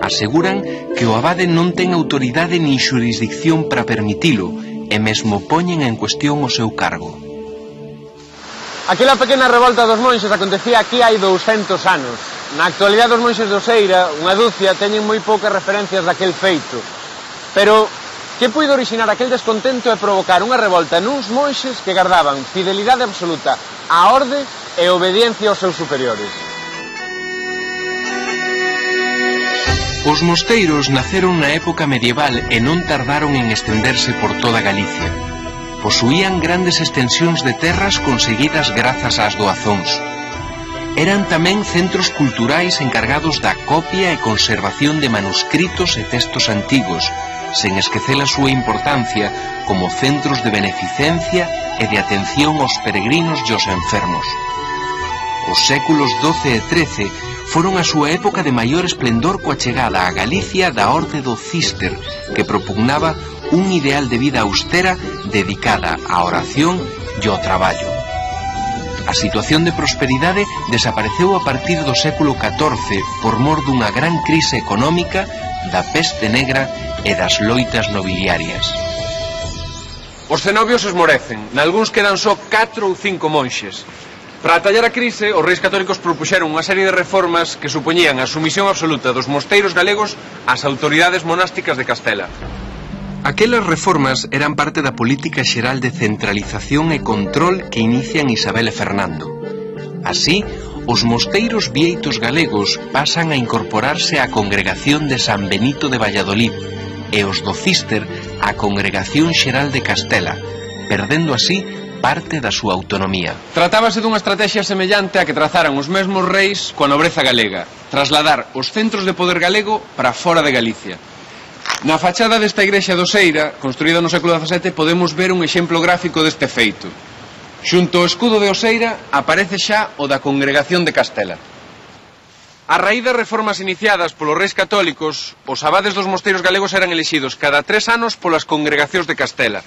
Aseguran que o abade non ten autoridade nin xurisdicción para permitilo e mesmo poñen en cuestión o seu cargo. Aquela pequena revolta dos monxes acontecía aquí hai 200 anos. Na actualidade os monxes de Oseira, unha dúcia, teñen moi poucas referencias daquel feito. Pero que puido orixinar aquel descontento e provocar unha revolta nuns monxes que gardaban fidelidade absoluta á orde e obediencia aos seus superiores. Os mosteiros naceron na época medieval e non tardaron en estenderse por toda Galicia. Posuían grandes extensións de terras conseguidas grazas ás doazóns. Eran tamén centros culturais encargados da copia e conservación de manuscritos e textos antigos, sen esquecer a súa importancia como centros de beneficencia e de atención aos peregrinos e aos enfermos. Os séculos XII e XIII foron a súa época de maior esplendor coa chegada a Galicia da orde do Cister, que propugnaba un ideal de vida austera dedicada á oración e ao traballo. A situación de prosperidade desapareceu a partir do século XIV por mor dunha gran crise económica, da peste negra e das loitas nobiliarias. Os cenobios esmorecen, nalgúns quedan só 4 ou 5 monxes. Para atallar a crise, os reis católicos propuxeron unha serie de reformas que supoñían a sumisión absoluta dos mosteiros galegos ás autoridades monásticas de Castela. Aquelas reformas eran parte da política xeral de centralización e control que inician Isabel e Fernando. Así, os mosteiros vieitos galegos pasan a incorporarse á congregación de San Benito de Valladolid e os do Cister á congregación xeral de Castela, perdendo así parte da súa autonomía. Tratábase dunha estrategia semellante a que trazaran os mesmos reis coa nobreza galega, trasladar os centros de poder galego para fora de Galicia. Na fachada desta igrexa de Oseira, construída no século XVII, podemos ver un exemplo gráfico deste feito. Xunto ao escudo de Oseira aparece xa o da Congregación de Castela. A raíz das reformas iniciadas polos reis católicos, os abades dos mosteiros galegos eran elixidos cada 3 anos polas congregacións de Castela.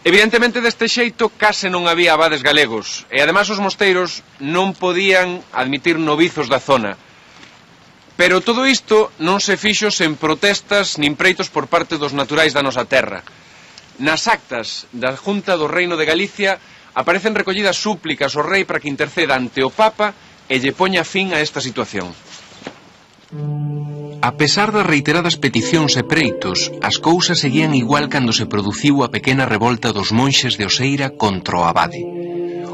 Evidentemente deste xeito case non había abades galegos e ademais os mosteiros non podían admitir novizos da zona. Pero todo isto non se fixo sen protestas nin preitos por parte dos naturais da nosa terra. Nas actas da Junta do Reino de Galicia aparecen recollidas súplicas ao rei para que interceda ante o Papa e lle poña fin a esta situación. A pesar das reiteradas peticións e preitos, as cousas seguían igual cando se produciu a pequena revolta dos monxes de Oseira contra o abade.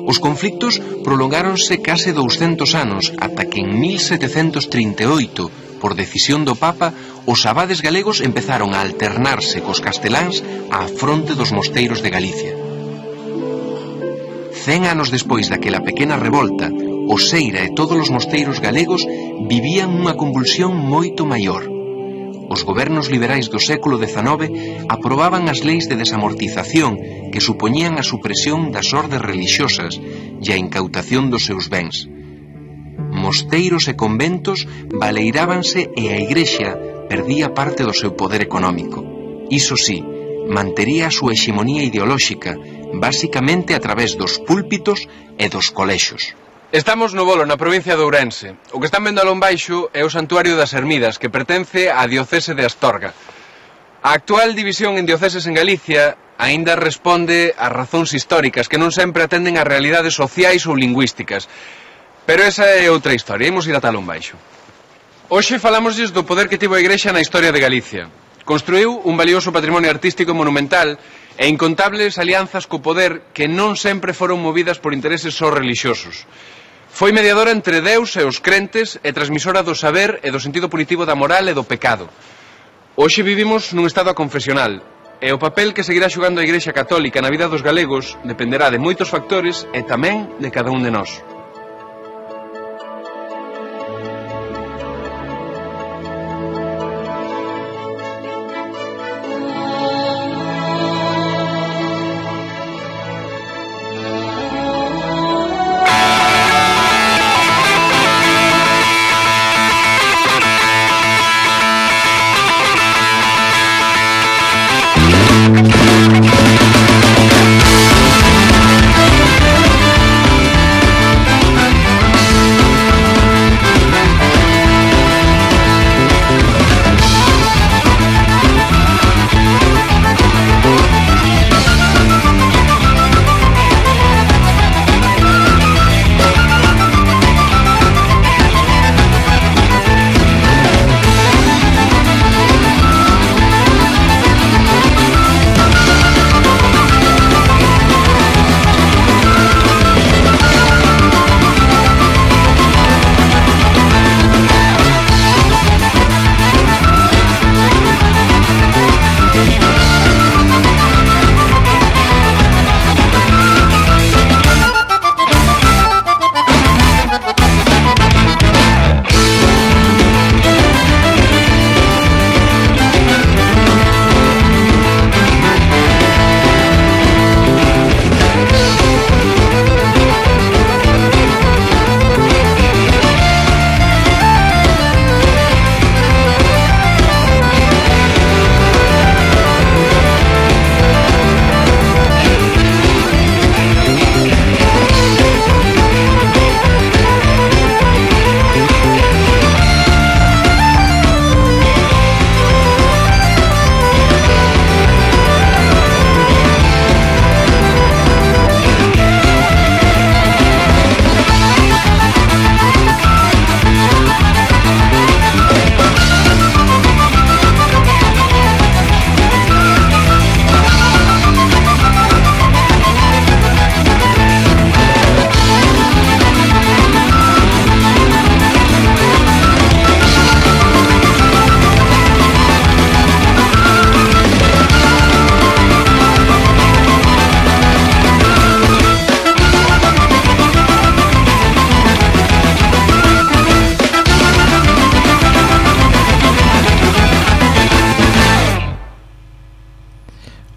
Os conflictos prolongáronse case 200 anos ata que en 1738, por decisión do Papa, os abades galegos empezaron a alternarse cos casteláns á fronte dos mosteiros de Galicia. 100 anos despois daquela pequena revolta, o Seira e todos os mosteiros galegos vivían unha convulsión moito maior. Os gobernos liberais do século XIX aprobaban as leis de desamortización que supoñían a supresión das ordes religiosas e a incautación dos seus bens. Mosteiros e conventos baleirábanse e a Igrexa perdía parte do seu poder económico. Iso sí, mantería a súa hexemonía ideolóxica, basicamente a través dos púlpitos e dos colexos. Estamos no Bolo, na provincia de Ourense. O que están vendo alón baixo é o Santuario das Ermidas, que pertence á diocese de Astorga. A actual división en dioceses en Galicia aínda responde a razóns históricas que non sempre atenden a realidades sociais ou lingüísticas. Pero esa é outra historia, imos ir ata alón baixo. Hoxe falámosles do poder que tivo a Igrexa na historia de Galicia. Construiu un valioso patrimonio artístico e monumental e incontables alianzas co poder que non sempre foron movidas por intereses só relixiosos. Foi mediadora entre Deus e os crentes e transmisora do saber e do sentido punitivo da moral e do pecado. Hoxe vivimos nun estado aconfesional e o papel que seguirá xogando a Igrexa Católica na vida dos galegos dependerá de moitos factores e tamén de cada un de nós.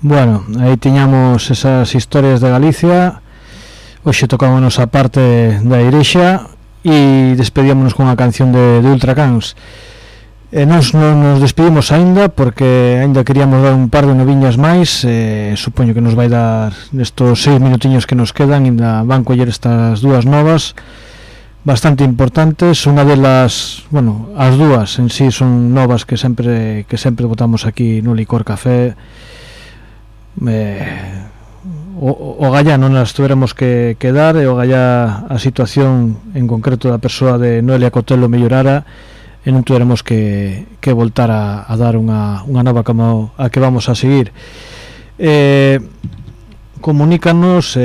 Bueno, aí tiñamos esas historias de Galicia. Hoxe tocámonos a parte da Igrexa e despedímonos con a canción de Ultracans. Nos despedimos aínda porque aínda queríamos dar un par de noviñas máis. Supoño que nos vai dar nestos 6 minutiños que nos quedan, ainda van coller estas dúas novas bastante importantes. Unha delas, bueno, as dúas en sí son novas que sempre botamos aquí no Licor Café. O gallá non as tuveremos que dar, e o gallá a situación en concreto da persoa de Noelia Cotelo mellorara e non tuveremos que voltar a dar unha nova como a que vamos a seguir. Comunícanos,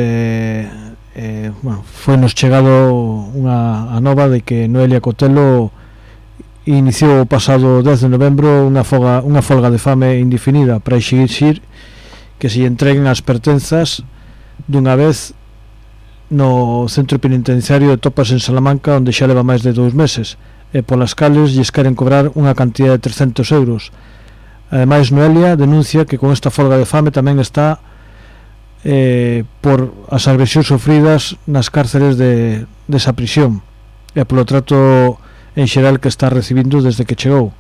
bueno, foi nos chegado a nova de que Noelia Cotelo iniciou o pasado 10 de novembro unha folga de fame indefinida para exigir que se lle entreguen as pertenzas dunha vez no centro penitenciario de Topas en Salamanca, onde xa leva máis de 2 meses, e polas cales lles queren cobrar unha cantidad de 300 euros. Ademais, Noelia denuncia que con esta folga de fame tamén está por as agresións sofridas nas cárceles desa prisión e polo trato en xeral que está recibindo desde que chegou.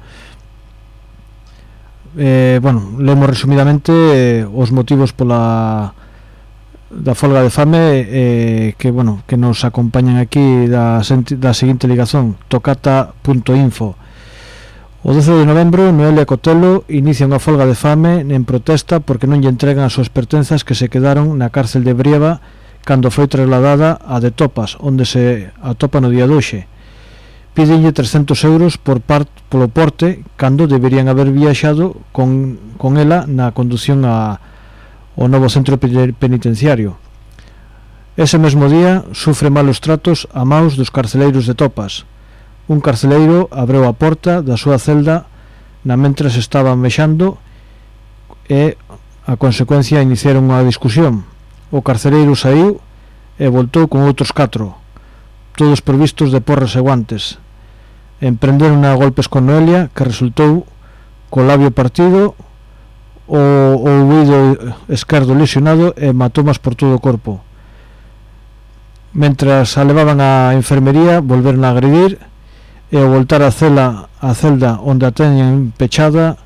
Lemos resumidamente os motivos da folga de fame que nos acompañan aquí da seguinte ligazón: tocata.info. O 12 de novembro, Noelia Cotelo inicia unha folga de fame en protesta porque non lle entregan as súas pertenzas que se quedaron na cárcel de Brieva cando foi trasladada a de Topas, onde se atopa no día de hoxe. Pídenlle 300 euros polo porte cando deberían haber viaxado con ela na condución ao novo centro penitenciario. Ese mesmo día sufre malos tratos a maus dos carceleiros de Topas. Un carceleiro abreu a porta da súa celda na mentras estaban mexando e a consecuencia iniciaron unha discusión. O carceleiro saiu e voltou con outros 4, todos provistos de porras e guantes. Emprenderon a golpes con Noelia, que resultou co labio partido, o ouvido esquerdo lesionado e hematomas por todo o corpo. Mentras a levaban á enfermería, volveron a agredir e ao voltar a celda onde a teñen pechada,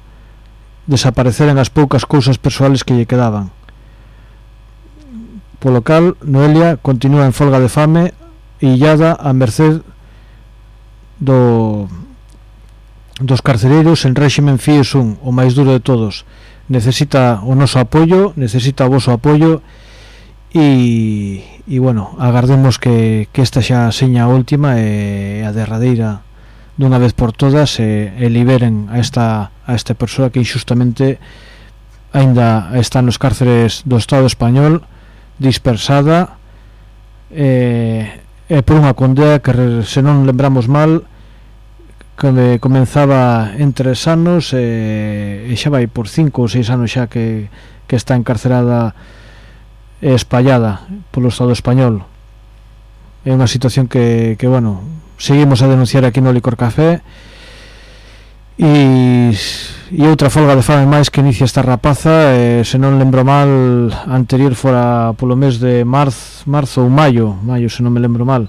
desapareceran as poucas cousas persoales que lle quedaban. Polo cal, Noelia continúa en folga de fame, illada a merced dos carcereiros en réximen FIES 1, o máis duro de todos. Necesita o noso apoio, necesita o voso apoio e agardemos que esta xa seña a última e a derradeira dunha vez por todas e liberen a esta persoa que injustamente aínda está nos cárceres do Estado español, dispersada e por unha condea que, se non lembramos mal, que comenzaba en 3 anos e xa vai por 5 ou 6 anos xa que está encarcerada e espallada polo Estado español. É unha situación que seguimos a denunciar aquí no Licor Café e outra folga de fame máis que inicia esta rapaza, se non lembro mal, anterior fora polo mes de marzo ou maio, se non me lembro mal.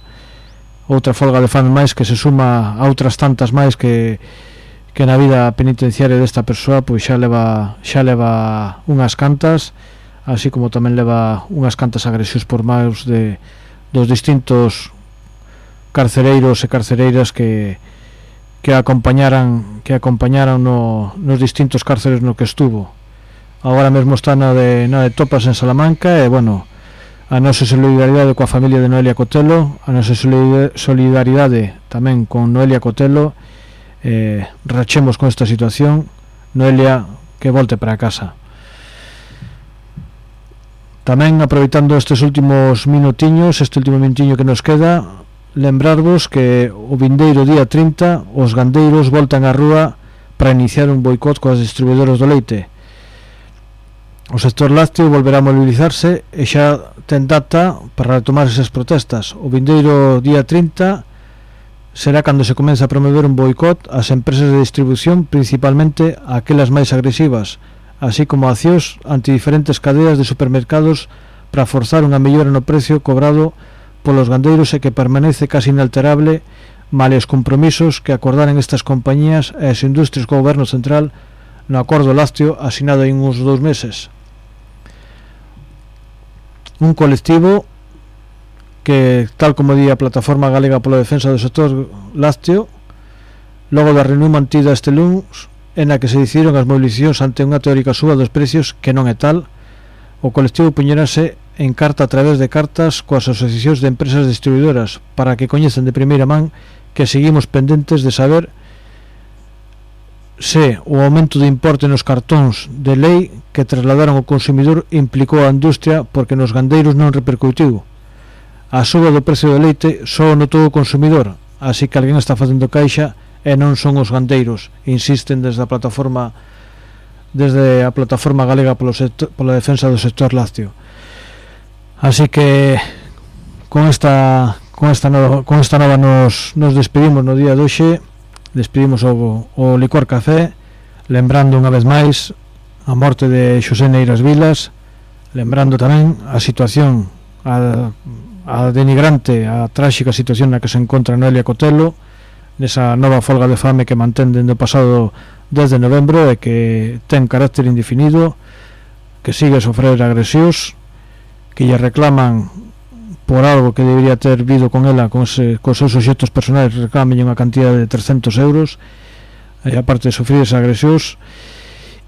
Outra folga de fame máis que se suma a outras tantas máis que na vida penitenciaria desta persoa pois xa leva unhas cantas, así como tamén leva unhas cantas agresións por maus dos distintos carcereiros e carcereiras que acompañaran nos distintos cárceres no que estuvo. Agora mesmo está na de Topas en Salamanca e a nosa solidaridade coa familia de Noelia Cotelo, a nosa solidaridade tamén con Noelia Cotelo. Rachemos con esta situación. Noelia, que volte para casa. Tamén, aproveitando estes últimos minutiños, este último minutiño que nos queda, lembrarvos que o vindeiro día 30 os gandeiros voltan á rúa para iniciar un boicot coas distribuidoras do leite. O sector lácteo volverá a mobilizarse e xa ten data para retomar esas protestas. O vindeiro día 30 será cando se comece a promover un boicot ás empresas de distribución, principalmente aquelas máis agresivas, así como accións ante diferentes cadeas de supermercados para forzar unha mellora no precio cobrado polos gandeiros e que permanece casi inalterable male os compromisos que acordaran estas compañías e as industrias co goberno central no acordo lácteo asinado en uns 2 meses. Un colectivo que, tal como di a Plataforma Galega pola Defensa do Sector Lácteo, logo da reunión mantida este luns en a que se decidiron as movilizacións ante unha teórica suba dos precios que non é tal, o colectivo puñerase en carta a través de cartas coas asociacións de empresas distribuidoras para que coñecen de primeira man que seguimos pendentes de saber se o aumento de importe nos cartóns de lei que trasladaron ao consumidor implicou a industria, porque nos gandeiros non repercutiu. A suba do precio do leite só notou o consumidor, así que alguén está facendo caixa e non son os gandeiros, insisten desde a plataforma galega pola defensa do sector lácteo. Así que con esta nova nos despedimos no día de hoxe. Despedimos o Licor Café, lembrando unha vez máis a morte de Xosé Neiras Vilas, lembrando tamén a situación, a denigrante, a tráxica situación na que se encontra Noelia Cotelo, nesa nova folga de fame que mantén dende o pasado 10 de novembro e que ten carácter indefinido, que sigue a sofrer agresións, que lle reclaman por algo que debería ter vido con ela, cos seus obxectos personais, reclamen unha cantidad de 300 euros, e aparte de sufrir esas agresións.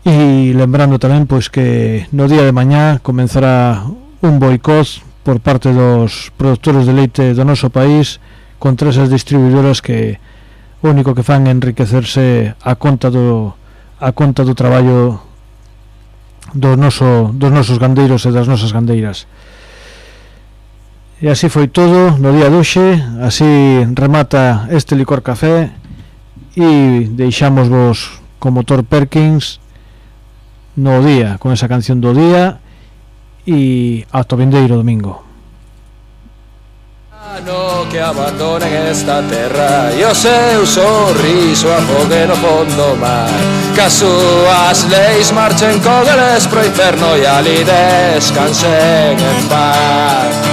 E lembrando tamén pois que no día de mañá comenzará un boicot por parte dos produtores de leite do noso país contra esas distribuidoras que o único que fan é enriquecerse a conta do traballo dos nosos gandeiros e das nosas gandeiras. E así foi todo no día de hoxe. Así remata este Licor Café e deixamos vos con Motor Perkins no día, con esa canción do día, e ata o vindeiro domingo. No que abandonen esta terra e o seu sorriso afogue no fondo mar, que as súas leis marchen con eles pro inferno e ali descansen en paz.